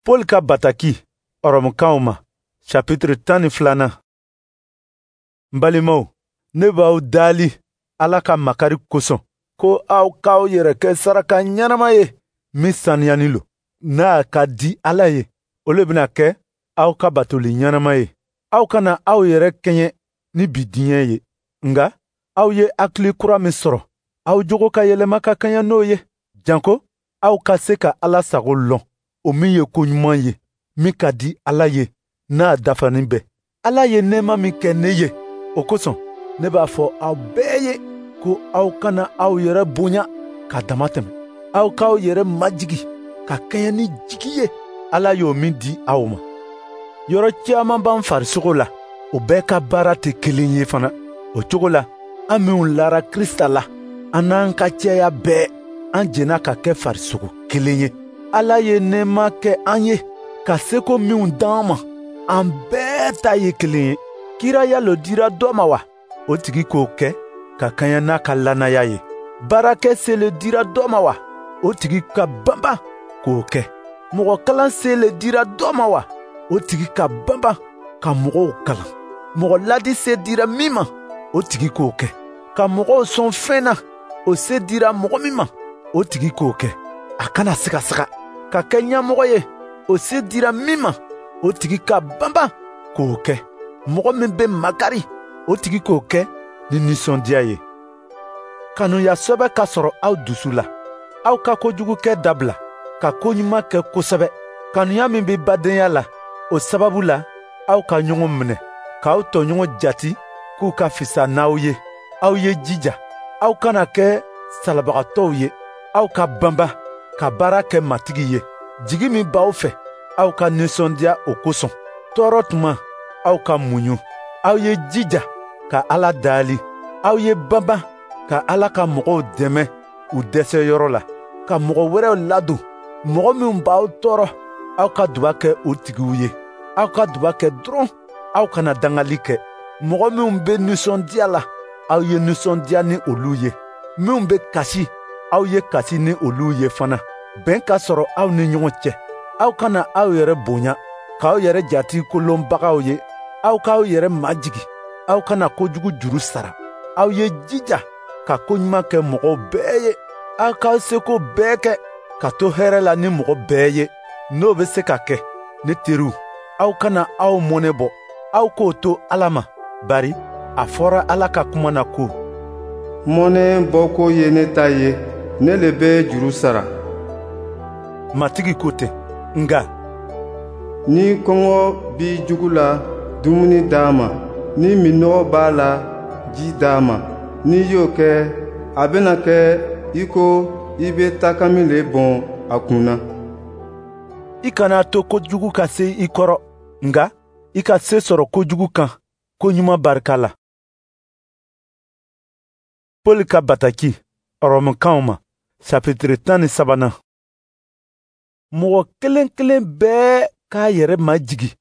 Paul ka bataki Ɔrɔmukaw ma, chapitre tan ni filanan. N balimaw, ne b'aw daali Ala ka makari kosɔn ko aw k'aw yɛrɛ kɛ saraka ɲɛnama ye min saniyani lo, n'a ka di Ala ye. O le bɛna kɛ aw ka batoli ɲɛnama ye. Aw kana aw yɛrɛ kɛɲɛ ni bi diɲɛ ye, nka aw ye hakili kura min sɔrɔ, aw jogo ka yɛlɛma ka kaɲa n'o ye, janko aw ka se ka Ala sago lɔn, o min ye ko ɲuman ye, min ka di Ala ye, n'a dafanin bɛɛ. Ala ye nɛɛma min kɛ ne ye, o kosɔn ne b'a fɔ aw bɛɛ ye ko aw kana aw yɛrɛ bonya ka dama tɛmɛ. Aw k'aw yɛrɛ majigi ka kɛɲɛ ni jigi ye Ala y'o min di aw ma. Yɔrɔ caman b'an farisogo la, o bɛɛ ka baara tɛ kelen ye fana. O cogo la, an minw lara Krista la, an n'an ka cɛya bɛɛ, an jɛnna ka kɛ farisogo kelen ye. Ala ye nɛɛma kɛ an ye ka seko minw d'an ma, an bɛɛ ta ye kelen ye. Kiraya lo dira dɔ ma wa? O tigi k'o kɛ ka kaɲa n'a ka lannaya ye. Baarakɛ se le dira dɔ ma wa? O tigi ka banban k'o kɛ. Mɔgɔ kalan se le dira dɔ ma wa? O tigi ka banban ka mɔgɔw kalan. Mɔgɔ ladi se dira min ma, o tigi k'o kɛ. Ka mɔgɔw sɔn fɛn na, o se dira mɔgɔ min ma, o tigi k'o kɛ. A kana sigasiga. Ka kɛ ɲɛmɔgɔ ye, o se dira min ma, o tigi ka banban k'o kɛ. Mɔgɔ min bɛ makari, o tigi k'o kɛ ni nisɔndiya ye. Kanuya sɛbɛ ka sɔrɔ aw dusu la. Aw ka kojugukɛ dabila, ka koɲuman kɛ kosɛbɛ. Kanuya min bɛ badenya la, o sababu la, aw ka ɲɔgɔn minɛ, k'aw tɔɲɔgɔn jati k'u ka fisa n'aw ye. Aw ye jija, aw kana kɛ salabagatɔw ye. Aw ka banba ka baara kɛ Matigi ye. Jigi min b'aw fɛ, aw ka nisɔndiya o kosɔn. Tɔɔrɔ tuma, aw ka muɲu. Aw ye jija ka Ala dali. Aw ye banba ka Ala ka mɔgɔw dɛmɛ u dɛsɛyɔrɔ la, ka mɔgɔ wɛrɛw ladon. Mɔgɔ minnu b'aw tɔɔrɔ, aw ka duba kɛ o tigiw ye. Aw ka duba kɛ dɔrɔn, aw kana dangali kɛ. Mɔgɔ minnu bɛ nisɔndiya la, aw ye nisɔndiya ni olu ye. Minnu bɛ kasi, aw ye kasi ni olu ye fana. Bɛn ka sɔrɔ aw ni ɲɔgɔn cɛ. Aw kana aw yɛrɛ bonya, k'aw yɛrɛ jati kolonbagaw ye. Aw k'aw yɛrɛ majigin. Aw kana kojugu juru sara. Aw ye jija ka koɲuman kɛ mɔgɔw bɛɛ ye. Aw k'aw seko bɛɛ kɛ ka to hɛrɛ la ni mɔgɔ bɛɛ ye. N'o bɛ se ka kɛ, ne teriw, aw kana aw mɔnɛ bɔ. Aw k'o to Ala ma, bari a fɔra Ala ka kuma na ko: Mɔnɛ bɔko ye ne ta ye, ne le bɛ juru sara. Matigi ko ten. Nka ni kɔngɔ b'i jugu la, dumuni d'a ma. Ni minnɔgɔ b'a la, ji d'a ma. N'i y'o kɛ, a bɛna kɛ i ko i bɛ takami le bɔn a kun na. I kana to kojugu ka se i kɔrɔ, nka i ka se sɔrɔ kojugu kan koɲuman barika la. Pɔli ka bataki Ɔrɔmukanw ma, sapitiri tan ni sabanan. Mɔgɔ kelen kelen bɛɛ k'a yɛrɛ majigin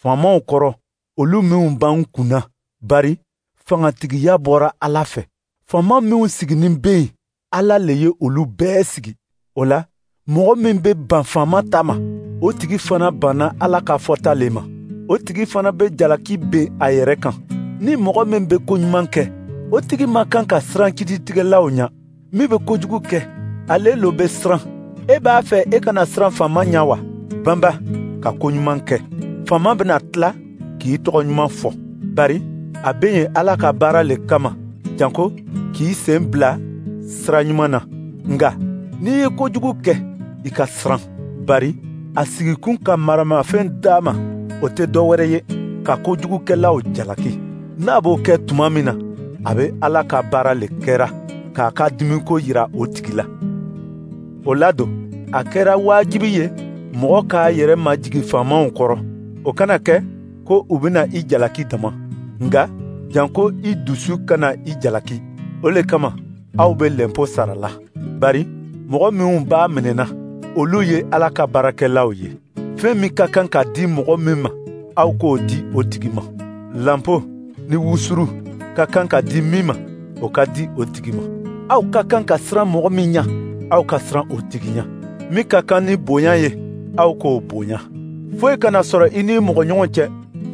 faamaw kɔrɔ, olu minw b'an kunna, bari fangatigiya bɔra Ala fɛ. Faama minw siginin bɛ yen, Ala le ye olu bɛɛ sigi. O la, mɔgɔ min bɛ ban faama ta ma, o tigi fana banna Ala ka fɔta le ma. O tigi fana bɛ jalaki ben a yɛrɛ kan. Ni mɔgɔ min bɛ koɲuman kɛ, o tigi man kan ka siran kiritigɛlaw ɲɛ. Min bɛ kojugu kɛ, ale lo bɛ siran. E b'a fɛ e kana siran faama ɲɛ wa? Banba ka koɲuman kɛ. Faama bɛna tila k'i tɔgɔ ɲuman fɔ, bari a bɛ yen Ala ka baara le kama, janko k'i sen bila sira ɲuman na. Nka n'i ye kojugu kɛ, i ka siran, bari a sigikun ka maramafɛn d'a ma, o tɛ dɔ wɛrɛ ye ka kojugukɛlaw jalaki. N'a b'o kɛ tuma min na, a bɛ Ala ka baara le kɛra k'a ka dimiko yira o tigi la. O la don, a kɛra wajibi ye mɔgɔ k'a yɛrɛ majigin faamaw kɔrɔ. O kana kɛ ko u bɛna i jalaki dama, nka janko i dusu kana i jalaki. O le kama aw bɛ lɛnpo sara la, bari mɔgɔ minnu b'a minɛna, olu ye Ala ka baarakɛlaw ye. Fɛn min ka kan ka di mɔgɔ min ma, aw k'o di o tigi ma. Lanpo ni wusuru ka kan ka di min ma, o ka di o tigi ma. Aw ka kan ka siran mɔgɔ min ɲɛ, aw ka siran o tigi ɲɛ. Min ka kan ni bonya ye, aw k'o bonya. Foyi kana sɔrɔ i ni mɔgɔ ɲɔgɔn cɛ,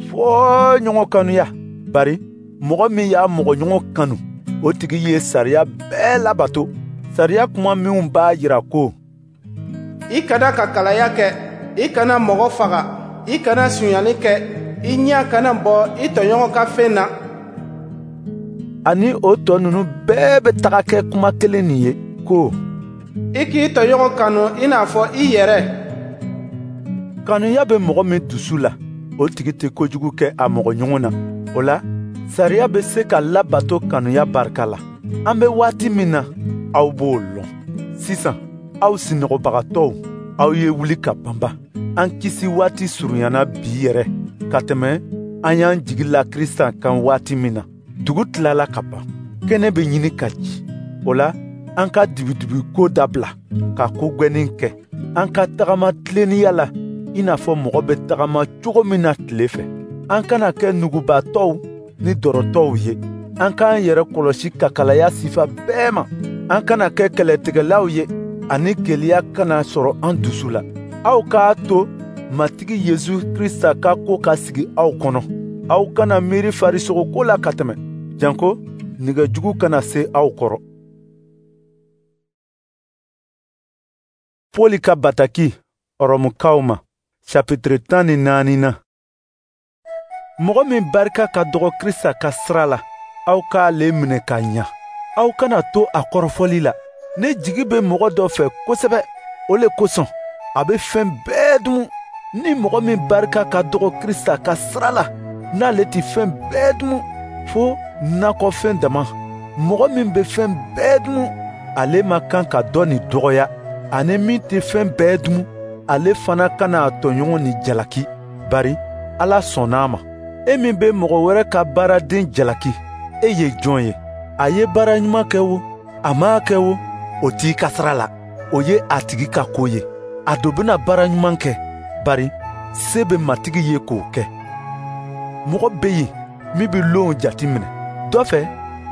fo ɲɔgɔn kanuya. Bari mɔgɔ min y'a mɔgɔ ɲɔgɔn kanu, o tigi ye sariya bɛɛ labato. Sariya kuma minw b'a yira ko: I kana ka kalaya kɛ, i kana mɔgɔ faga, i kana sonyali kɛ, i ɲɛ kana bɔ i tɔɲɔgɔn ka fɛn na. Ani o tɔ ninnu bɛɛ bɛ taga kɛ kuma kelen nin ye ko: I k'i tɔɲɔgɔn kanu i n'a fɔ i yɛrɛ. Kanuya bɛ mɔgɔ min dusu la, o tigi tɛ kojugu kɛ a mɔgɔ ɲɔgɔn na. O la, sariya bɛ se ka labato kanuya barika la. An bɛ waati min na, aw b'o lɔn. Sisan, aw sinɔgɔbagatɔw, aw ye wuli ka banba. An kisi waati surunyana bi yɛrɛ ka tɛmɛ an y'an jigi la Krisita kan waati min na. Dugu tilala ka ban, kɛnɛ bɛ ɲini ka ci. O la, an ka dibidibi ko dabila, ka ko gwɛnin kɛ. An ka tagama tilennenya la, i n'a fɔ mɔgɔ bɛ tagama cogo min na tile fɛ. An kana kɛ nugubatɔw ni dɔrɔtɔw ye. An k'an yɛrɛ kɔlɔsi kakalaya sifa bɛɛ ma. An kana kɛ kɛlɛtigɛlaw ye, ani keleya kana sɔrɔ an dusu la. Aw k'a to Matigi Yesu Krista ka ko ka sigi aw kɔnɔ. Aw kana miiri farisogo ko la ka tɛmɛ, janko nɛgɛjugu kana se aw kɔrɔ. Pɔli ka bataki Ɔrɔmukaw ma, chapitre tan ni naani na. Mɔgɔ min barika ka dɔgɔ Krista ka sira la, aw k'ale minɛ ka ɲa. Aw kana to a kɔrɔfɔli la. Ne jigi bɛ mɔgɔ dɔ fɛ kosɛbɛ, o le kosɔn a bɛ fɛn bɛɛ dumu. Ni mɔgɔ min barika ka dɔgɔ Krista ka sira la, n'ale tɛ fɛn bɛɛ dumu fo nakɔfɛn dama. Mɔgɔ min bɛ fɛn bɛɛ dumu, ale ma kan ka dɔ nin dɔgɔya, ani min tɛ fɛn bɛɛ dumu, ale fana kana a tɔɲɔgɔn ni jalaki, bari Ala sɔnna a ma. E min bɛ mɔgɔ wɛrɛ ka baaraden jalaki, e ye jɔn ye? A ye baara ɲuman kɛ wo, a m'a kɛ wo, o t'i ka sira la. O ye a tigi ka ko ye. A do bɛna baara ɲuman kɛ, bari se bɛ Matigi ye k'o kɛ. Mɔgɔ bɛ yen min bɛ lonw jati minɛ. Dɔ fɛ,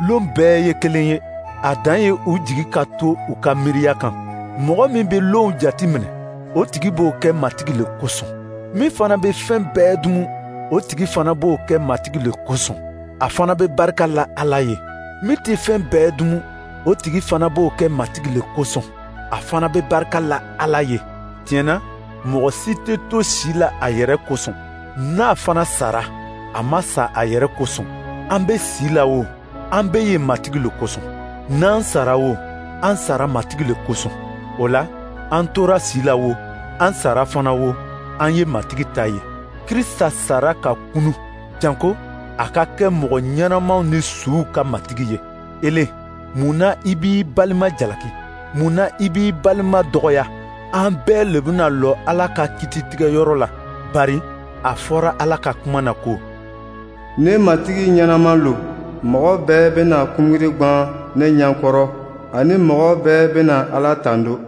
lon bɛɛ ye kelen ye. A dan ye u jigi ka to u ka miiriya kan. Mɔgɔ min bɛ lonw jati minɛ, o tigi b'o kɛ Matigi le kosɔn. Min fana bɛ fɛn bɛɛ dumu, o tigi fana b'o kɛ Matigi le kosɔn. A fana bɛ barika la Ala ye. Min tɛ fɛn bɛɛ dumu, o tigi fana b'o kɛ Matigi le kosɔn. A fana bɛ barika la Ala ye. Tiɲɛ na, mɔgɔ si tɛ to si la a yɛrɛ kosɔn. N'a fana sara, a ma sa a yɛrɛ kosɔn. An bɛ si la o, an bɛ yen Matigi le kosɔn. N'an sara o, an sara Matigi le kosɔn. O la, an tora si la o, an sara fana o, an ye Matigi ta ye. Krista sara ka kunu, janko a ka kɛ mɔgɔ ɲɛnamaw ni suw ka Matigi ye. Ele, mun na i b'i balima jalaki? Mun na i b'i balima dɔgɔya? An bɛɛ le bɛna lɔ Ala ka kititigɛyɔrɔ la, bari a fɔra Ala ka kuma na ko: Ne Matigi ɲɛnama lo, mɔgɔ bɛɛ bɛna kunbiri gwan ne ɲɛkɔrɔ, ani mɔgɔ bɛɛ bɛna Ala tando.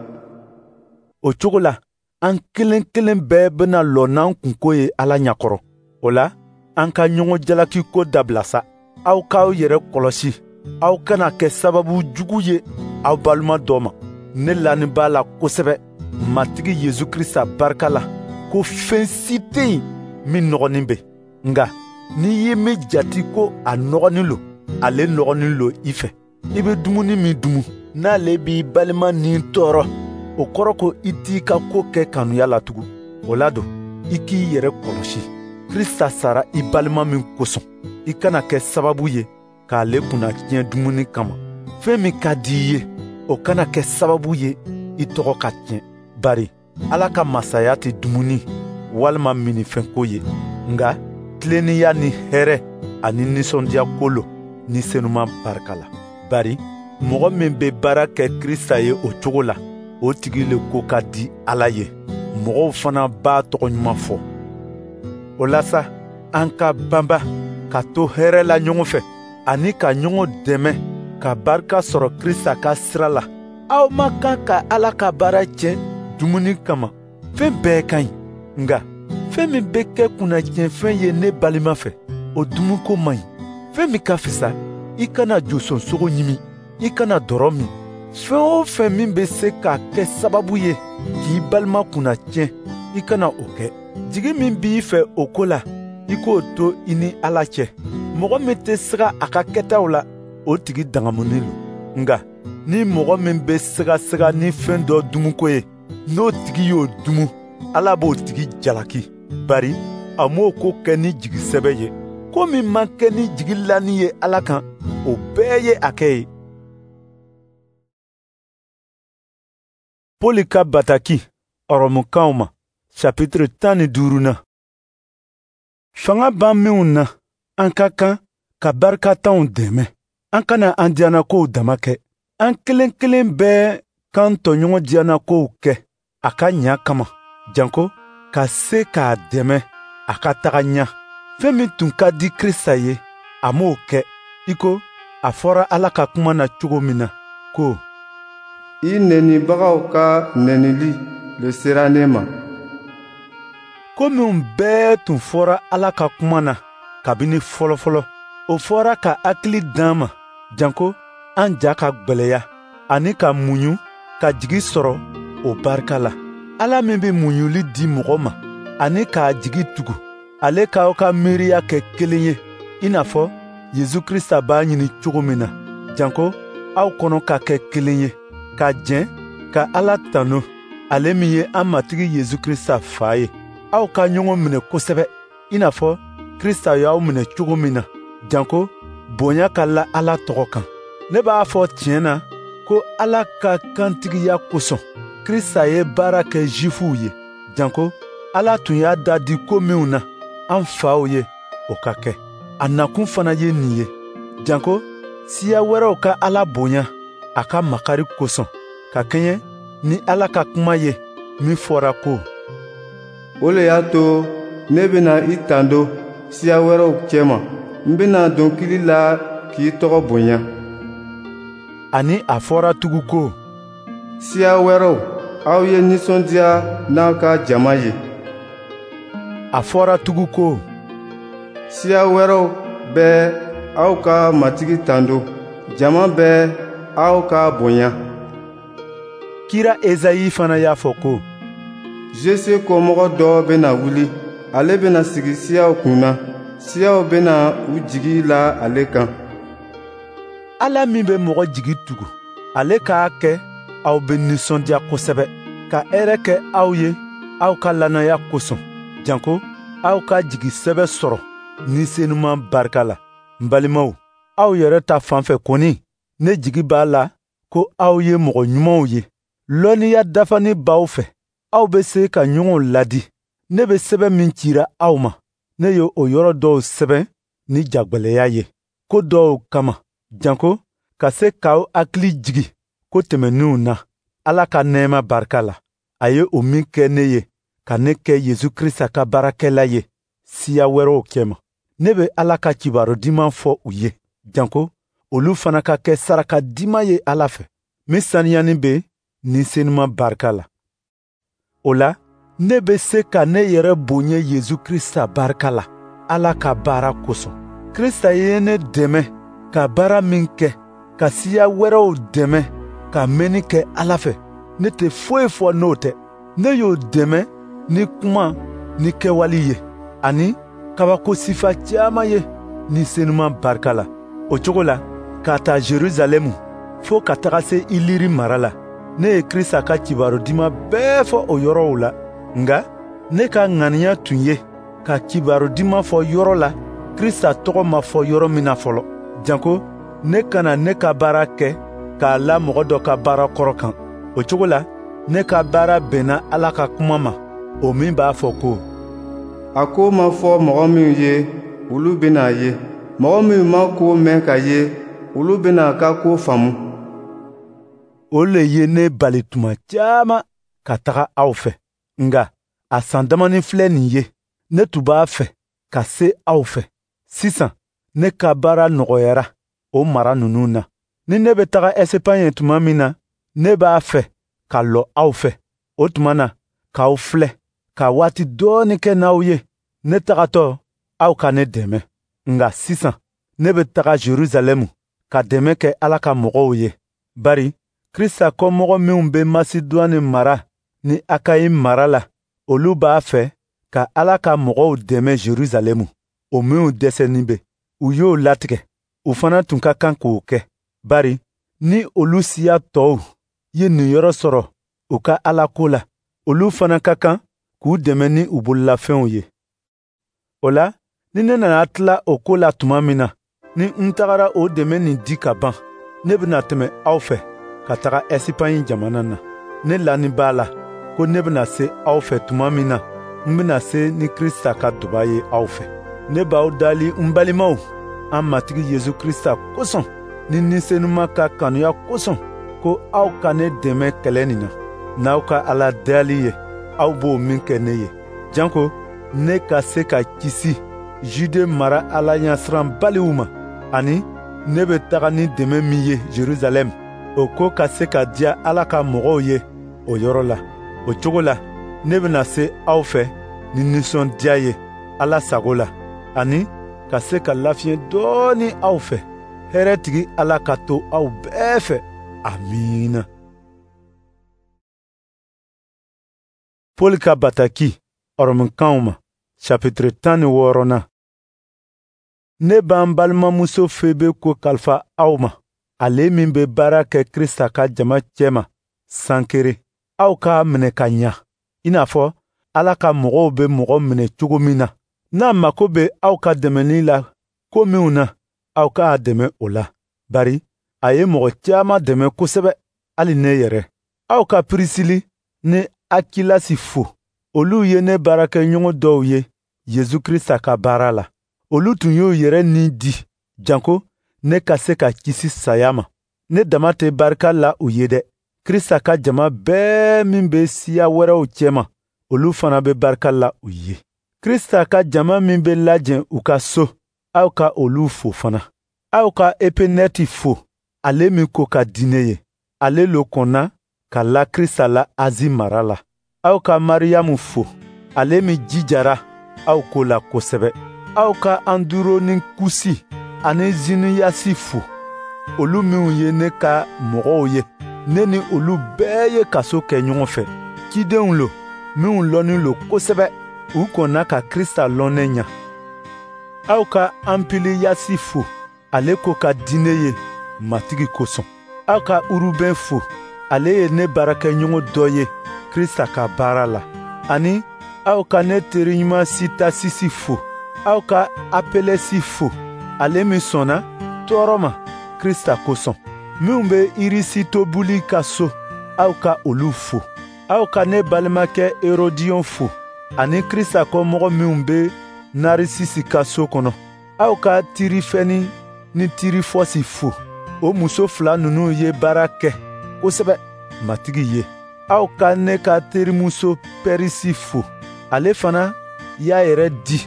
O cogo la, an kelen kelen bɛɛ bɛna lɔ n'an kunko ye Ala ɲɛkɔrɔ. O la, an ka ɲɔgɔn jalaki ko dabila sa. Aw k'aw yɛrɛ kɔlɔsi, aw kana kɛ sababu jugu ye aw balima dɔ ma. Ne lanin b'a la kosɛbɛ Matigi Yesu Krista barika la ko fɛn si tɛ yen min nɔgɔnin bɛ. Nka n'i ye min jate ko a nɔgɔnin lo, ale nɔgɔnin lo i fɛ. I bɛ dumuni min dumu, n'ale b'i balima ni tɔɔrɔ, o kɔrɔ ko i t'i ka ko kɛ kanuya la tugun. O la don, i k'i yɛrɛ kɔlɔsi. Krista sara i balima min kosɔn, i kana kɛ sababu ye k'ale kunna tiɲɛ dumuni kama. Fɛn min ka di i ye, o kana kɛ sababu ye i tɔgɔ ka tiɲɛ. Bari Ala ka masaya tɛ dumuni walima minnifɛnko ye, nka tilennenya ni hɛrɛ ani nisɔndiya ko lo ni senuman barika la. Bari mɔgɔ min bɛ baara kɛ Krista ye o cogo la, o tigi le ko ka di Ala ye. Mɔgɔw fana b'a tɔgɔ ɲuman fɔ. O la sa, an ka banba ka to hɛrɛ la ɲɔgɔn fɛ, ani ka ɲɔgɔn dɛmɛ ka barika sɔrɔ Krista ka sira la. Aw ma kan ka Ala ka baara tiɲɛ dumuni kama. Fɛn bɛɛ ka ɲi, nka fɛn min bɛ kɛ kunnatiɲɛfɛn ye ne balima fɛ, o dumuniko man ɲi. Fɛn min ka fisa, i kana josonsogo ɲimi, i kana dɔrɔ min. Fɛn o fɛn min bɛ se ka kɛ sababu ye k'i balima kunnatiɲɛ, i kana o kɛ. Jigi min b'i fɛ o ko la, i k'o to i ni Ala cɛ. Mɔgɔ min tɛ siga a ka kɛtaw la, o tigi dangamunen lo. Nka ni mɔgɔ min bɛ sigasiga ni fɛn dɔ dumuko ye, n'o tigi y'o dumu, Ala b'o tigi jalaki, bari a m'o ko kɛ ni jigi sɛbɛ ye. Ko min ma kɛ ni jigi lani ye Ala kan, o bɛɛ ye a kɛ ye. Pɔli ka bataki Ɔrɔmukaw ma, chapitre tan ni duuru na. Fanga b'an minw na, an ka kan ka barikatanw dɛmɛ. An kana an diyanakow dama kɛ. An kelen kelen bɛɛ k'an tɔɲɔgɔn diyanakow kɛ a ka ɲa kama, janko ka se k'a dɛmɛ a ka taga ɲa. Fɛn min tun ka di Krista ye, a m'o kɛ, i ko a fɔra Ala ka kuma na cogo min na ko: I nenibagaw ka nenili le sera ne ma. Ko minnu bɛɛ tun fɔra Ala ka kuma na kabini fɔlɔfɔlɔ, O fɔra ka hakili d'an ma, janko an ja ka gwɛlɛya, ani ka muɲu ka jigi sɔrɔ o barika la. Ala min bɛ muɲuli di mɔgɔ ma ani k'a jigi tugu, ale k'aw ka miiriya kɛ kelen ye, i n'a fɔ Yesu Krista b'a ɲini cogo min na, janko aw kɔnɔ ka kɛ kelen ye, ka jɛn ka Ala tanu, ale min ye an Matigi Yesu Krista fa ye. Aw ka ɲɔgɔn minɛ kosɛbɛ, i n'a fɔ Krista y'aw minɛ cogo min na, janko bonya ka la Ala tɔgɔ kan. Ne b'a fɔ tiɲɛ na ko Ala ka kantigiya kosɔn, Krista ye baara kɛ Zifuw ye, janko Ala tun y'a da di ko minw na an faw ye, o ka kɛ. A nakun fana ye nin ye, janko siya wɛrɛw ka Ala bonya a ka makari kosɔn, ka kɛɲɛ ni Ala ka kuma ye min fɔra ko: O le y'a to ne bɛna i tando siya wɛrɛw cɛma. N bɛna dɔnkili la k'i tɔgɔ bonya. Ani a fɔra tugun ko: Siya wɛrɛw, aw ye nisɔndiya n'aw ka jama ye. A fɔra tugun ko: Siya wɛrɛw bɛɛ, aw ka Matigi tando. Jama bɛɛ, aw k'a bonya. Kira Ezayi fana y'a fɔ ko: Jese kɔmɔgɔ dɔ bɛna wuli, ale bɛna sigi siyaw kunna. Siyaw bɛna u jigi la ale kan. Ala min bɛ mɔgɔ jigi tugu, ale k'a kɛ aw bɛ nisɔndiya kosɛbɛ, ka hɛrɛ kɛ aw ye aw ka lannaya kosɔn, janko aw ka jigi sɛbɛ sɔrɔ Ni Senuman barika la. N balimaw, aw yɛrɛ ta fan fɛ kɔni, ne jigi b'a la ko aw ye mɔgɔ ɲumanw ye. Lɔnniya dafani b'aw fɛ, aw bɛ se ka ɲɔgɔn ladi. Ne bɛ sɛbɛn min cira aw ma, ne ye o yɔrɔ dɔw sɛbɛn ni jagwɛlɛya ye, ko dɔw kama, janko ka se k'aw hakili jigi ko tɛmɛnenw na, Ala ka nɛɛma barika la. A ye o min kɛ ne ye, ka ne kɛ Yesu Krista ka baarakɛla ye siya wɛrɛw cɛma. Ne bɛ Ala ka kibaru diman fɔ u ye, janko olu fana ka kɛ saraka diman ye Ala fɛ, min saniyani bɛ Ni Senuman barika la. O la, ne bɛ se ka ne yɛrɛ bonya Yesu Krista barika la, Ala ka baara kosɔn. Krista ye ne dɛmɛ ka baara min kɛ, ka siya wɛrɛw dɛmɛ ka mɛnni kɛ Ala fɛ, ne tɛ foyi fɔ n'o tɛ. Ne y'o dɛmɛ ni kuma ni kɛwale ye, ani kabako sifa caman ye Ni Senuman barika la. O cogo la, k'a ta Jerusalɛmu fo ka taga se Iliri mara la, ne ye Krista ka kibaru diman bɛɛ fɔ o yɔrɔw la. Nka ne ka ŋaniya tun ye ka kibaru diman fɔ yɔrɔ la Krista tɔgɔ ma fɔ yɔrɔ min na fɔlɔ, janko ne kana ne ka baara kɛ k'a la mɔgɔ dɔ ka baara kɔrɔ kan. O cogo la, ne ka baara bɛnna Ala ka kuma ma, o min b'a fɔ ko: A ko ma fɔ mɔgɔ minnu ye, olu bɛna a ye. Mɔgɔ minnu ma ko mɛn ka ye, olu bɛna a ka ko faamu. O le ye ne bali tuma caman ka taga aw fɛ. Nka a san damanin filɛ nin ye, ne tun b'a fɛ ka se aw fɛ. Sisan ne ka baara nɔgɔyara o mara ninnu na. Ni ne bɛ taga Ɛsipaɲe tuma min na, ne b'a fɛ ka lɔ aw fɛ. O tuma na, k'aw filɛ, ka waati dɔɔnin kɛ n'aw ye. Ne tagatɔ, aw ka ne dɛmɛ. Nka sisan, ne bɛ taga Jerusalɛmu ka dɛmɛ kɛ Ala ka mɔgɔw ye. Bari Krista kɔmɔgɔ minw bɛ Masidwani mara ni Akayi mara la, olu b'a fɛ ka Ala ka mɔgɔw dɛmɛ Jerusalɛmu, o minw dɛsɛnin bɛ. U y'o latigɛ, u fana tun ka kan k'o kɛ. Bari ni olu siya tɔw ye niyɔrɔ sɔrɔ u ka Ala ko la, olu fana ka kan k'u dɛmɛ ni u bololafɛnw ye. O la, ni ne nana tila o ko la tuma min na, ni n tagara o dɛmɛ nin di ka ban, ne bɛna tɛmɛ aw fɛ ka taga Ɛsipaɲi jamana na. Ne lanin b'a la ko ne bɛna se aw fɛ tuma min na, n bɛna se ni Krista ka duba ye aw fɛ. Ne b'aw dali n balimaw, an Matigi Yesu Krista kosɔn, ni Ni Senuman ka kanuya kosɔn, ko aw ka ne dɛmɛ kɛlɛ nin na, n'aw ka Ala dali ye, aw b'o min kɛ ne ye. Janko ne ka se ka kisi Jude mara Ala ɲɛsiranbaliw ma, ani ne bɛ taga ni dɛmɛ min ye Jerusalɛm, o ko ka se ka diya Ala ka mɔgɔw ye o yɔrɔ la. O cogo la, ne bɛna se aw fɛ ni nisɔndiya ye Ala sago la, ani ka se ka lafiɲɛ dɔɔni aw fɛ. Hɛrɛtigi Ala ka to aw bɛɛ fɛ. Amiina. Paul ka bataki Ɔrɔmukanw ma, chapitre tan ni wɔɔrɔnan. Ne b'an balimamuso Febe ko kalifa aw ma, ale min bɛ baara kɛ Krista ka jama cɛma Sankere. Aw k'a minɛ ka ɲa, i n'a fɔ Ala ka mɔgɔw bɛ mɔgɔ minɛ cogo min na. N'a mako bɛ aw ka dɛmɛni la ko minw na, aw k'a dɛmɛ o la, bari a ye mɔgɔ caman dɛmɛ kosɛbɛ, hali ne yɛrɛ. Aw ka Pirisili ni Akilasi fo. Olu ye ne baarakɛɲɔgɔn dɔw ye Yesu Krista ka baara la. Olu tun y'u yɛrɛ ni di, janko ne ka se ka kisi saya ma. Ne dama tɛ barika la u ye dɛ. Krista ka jama bɛɛ min bɛ siya wɛrɛw cɛma, olu fana bɛ barika la u ye. Krista ka jama min bɛ lajɛ u ka so, aw ka olu fo fana. Aw ka Epenɛti fo, ale min ko ka di ne ye. Ale lo kɔnna ka la Krista la Azi mara la. Aw ka Mariyamu fo, ale min jijara aw ko la kosɛbɛ. Aw ka Anduronikusi ani Ziniyasi fo, olu minw ye ne ka mɔgɔw ye. Ne ni olu bɛɛ ye kaso kɛ ɲɔgɔn fɛ. Cidenw lo minw lɔnnin lo kosɛbɛ, u kɔnna ka Krista lɔn ne ɲa. Aw ka Anpiliyasi fo, ale ko ka di ne ye Matigi kosɔn. Aw ka Urubɛn fo, ale ye ne baarakɛɲɔgɔn dɔ ye Krista ka baara la. Ani aw ka ne teriɲuman Sitasisi fo. Aw ka Apelɛsi fo, ale min sɔnna tɔɔrɔ ma Krista kosɔn. Minw bɛ Irisitobuli ka so, aw ka olu fo. Aw ka ne balimakɛ Herodiyon fo, ani Krista kɔmɔgɔ minw bɛ Narisisi ka so kɔnɔ. Aw ka Tirifɛni ni Tirifɔsi fo. O muso fila ninnu ye baara kɛ kosɛbɛ Matigi ye. Aw ka ne ka terimuso Pɛrisi fo. Ale fana y'a yɛrɛ di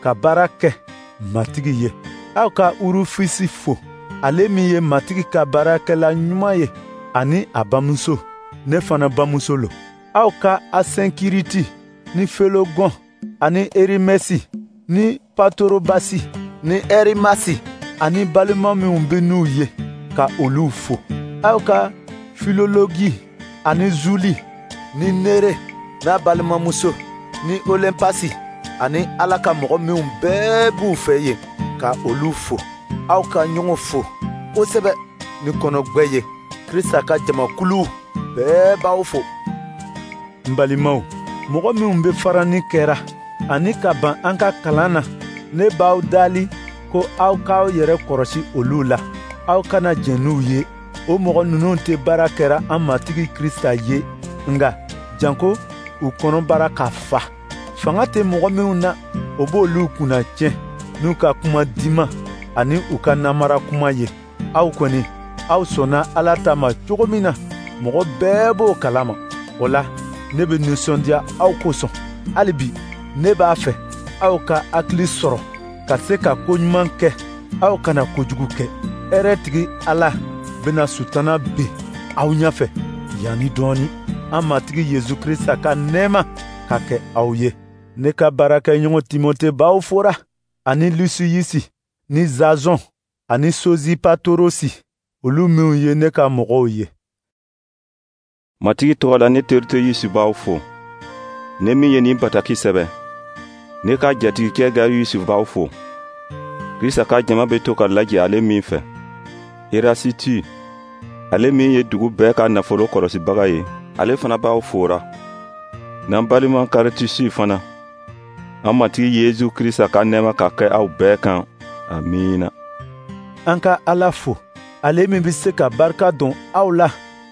ka baara kɛ Matigi ye. Aw ka Urufisi fo, ale min ye Matigi ka baarakɛla ɲuman ye, ani a bamuso, ne fana bamuso lo. Aw ka Asɛnkiriti ni Felogɔn ani Erimɛsi ni Patorobasi ni Ɛrimasi ani balima minw bɛ n'u ye, ka olu fo. Aw ka Filologi ani Zuli ni Nere n'a balimamuso ni Olɛnpasi ani Ala ka mɔgɔ minw bɛɛ b'u fɛ yen, ka olu fo. Aw ka ɲɔgɔn fo kosɛbɛ ni kɔnɔgbɛ ye. Krista ka jamakulu bɛɛ b'aw fo. N balimaw, mɔgɔ minw bɛ farani kɛra ani ka ban an ka kalan na, ne b'aw dali ko aw k'aw yɛrɛ kɔrɔsi olu la. Aw kana jɛn n'u ye. O mɔgɔ ninnu tɛ baara kɛra an Matigi Krista ye, nka janko u kɔnɔbara ka fa. Fanga tɛ mɔgɔ minw na, o b'olu kunna tiɲɛ n'u ka kuma diman ani u ka namara kuma ye. Aw kɔni, aw sɔnna Ala ta ma cogo min na, mɔgɔ bɛɛ b'o kalama. O la, ne bɛ nisɔndiya aw kosɔn. Hali bi, ne b'a fɛ aw ka hakili sɔrɔ ka se ka ko ɲuman kɛ, aw kana kojugu kɛ. Hɛrɛtigi Ala bɛna sutana bin aw ɲɛfɛ yanni dɔɔni. An Matigi Yesu Krista ka nɛɛma ka kɛ aw ye. Ne ka baarakɛɲɔgɔn Timote b'aw fora, ani Lusiyisi ni Zazɔn ani Sozipatorosi, olu minw ye ne ka mɔgɔw ye. Matigi tɔgɔ la ne Tertiyusi b'aw fo. Ne min ye nin bataki sɛbɛn, ne ka jatigikɛ Gayusi b'aw fo. Krista ka jama bɛ to ka lajɛ ale min fɛ. Erasiti, ale min ye dugu bɛɛ ka nafolo kɔlɔsibaga ye, ale fana b'aw fora. N'an balima Karitisi fana. An Matigi Yesu Krista ka nɛɛma ka kɛ aw bɛɛ kan. Amiina. An ka Ala fo, ale min bɛ se ka barika don aw la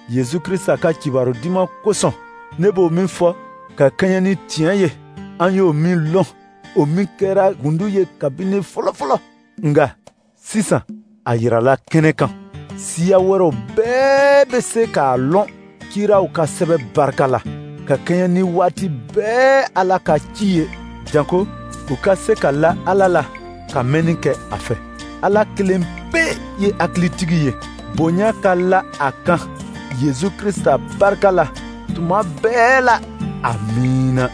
Yesu Krista ka kibaru duman kosɔn. Ne b'o min fɔ ka kɛɲɛ ni tiɲɛ ye, an y'o min lɔn, o min kɛra gundo ye kabini fɔlɔfɔlɔ, nka sisan a yirala kɛnɛ kan. Siya wɛrɛw bɛɛ bɛ se k'a lɔn kiraw ka sɛbɛ barika la, ka kɛɲɛ ni waati bɛɛ Ala ka ci ye, janko u ka se ka la Ala la ka mɛnni kɛ a fɛ. Ala kelen pe ye hakilitigi ye, bonya ka la a kan Yesu Krista barika la tuma bɛɛ la. Amiina.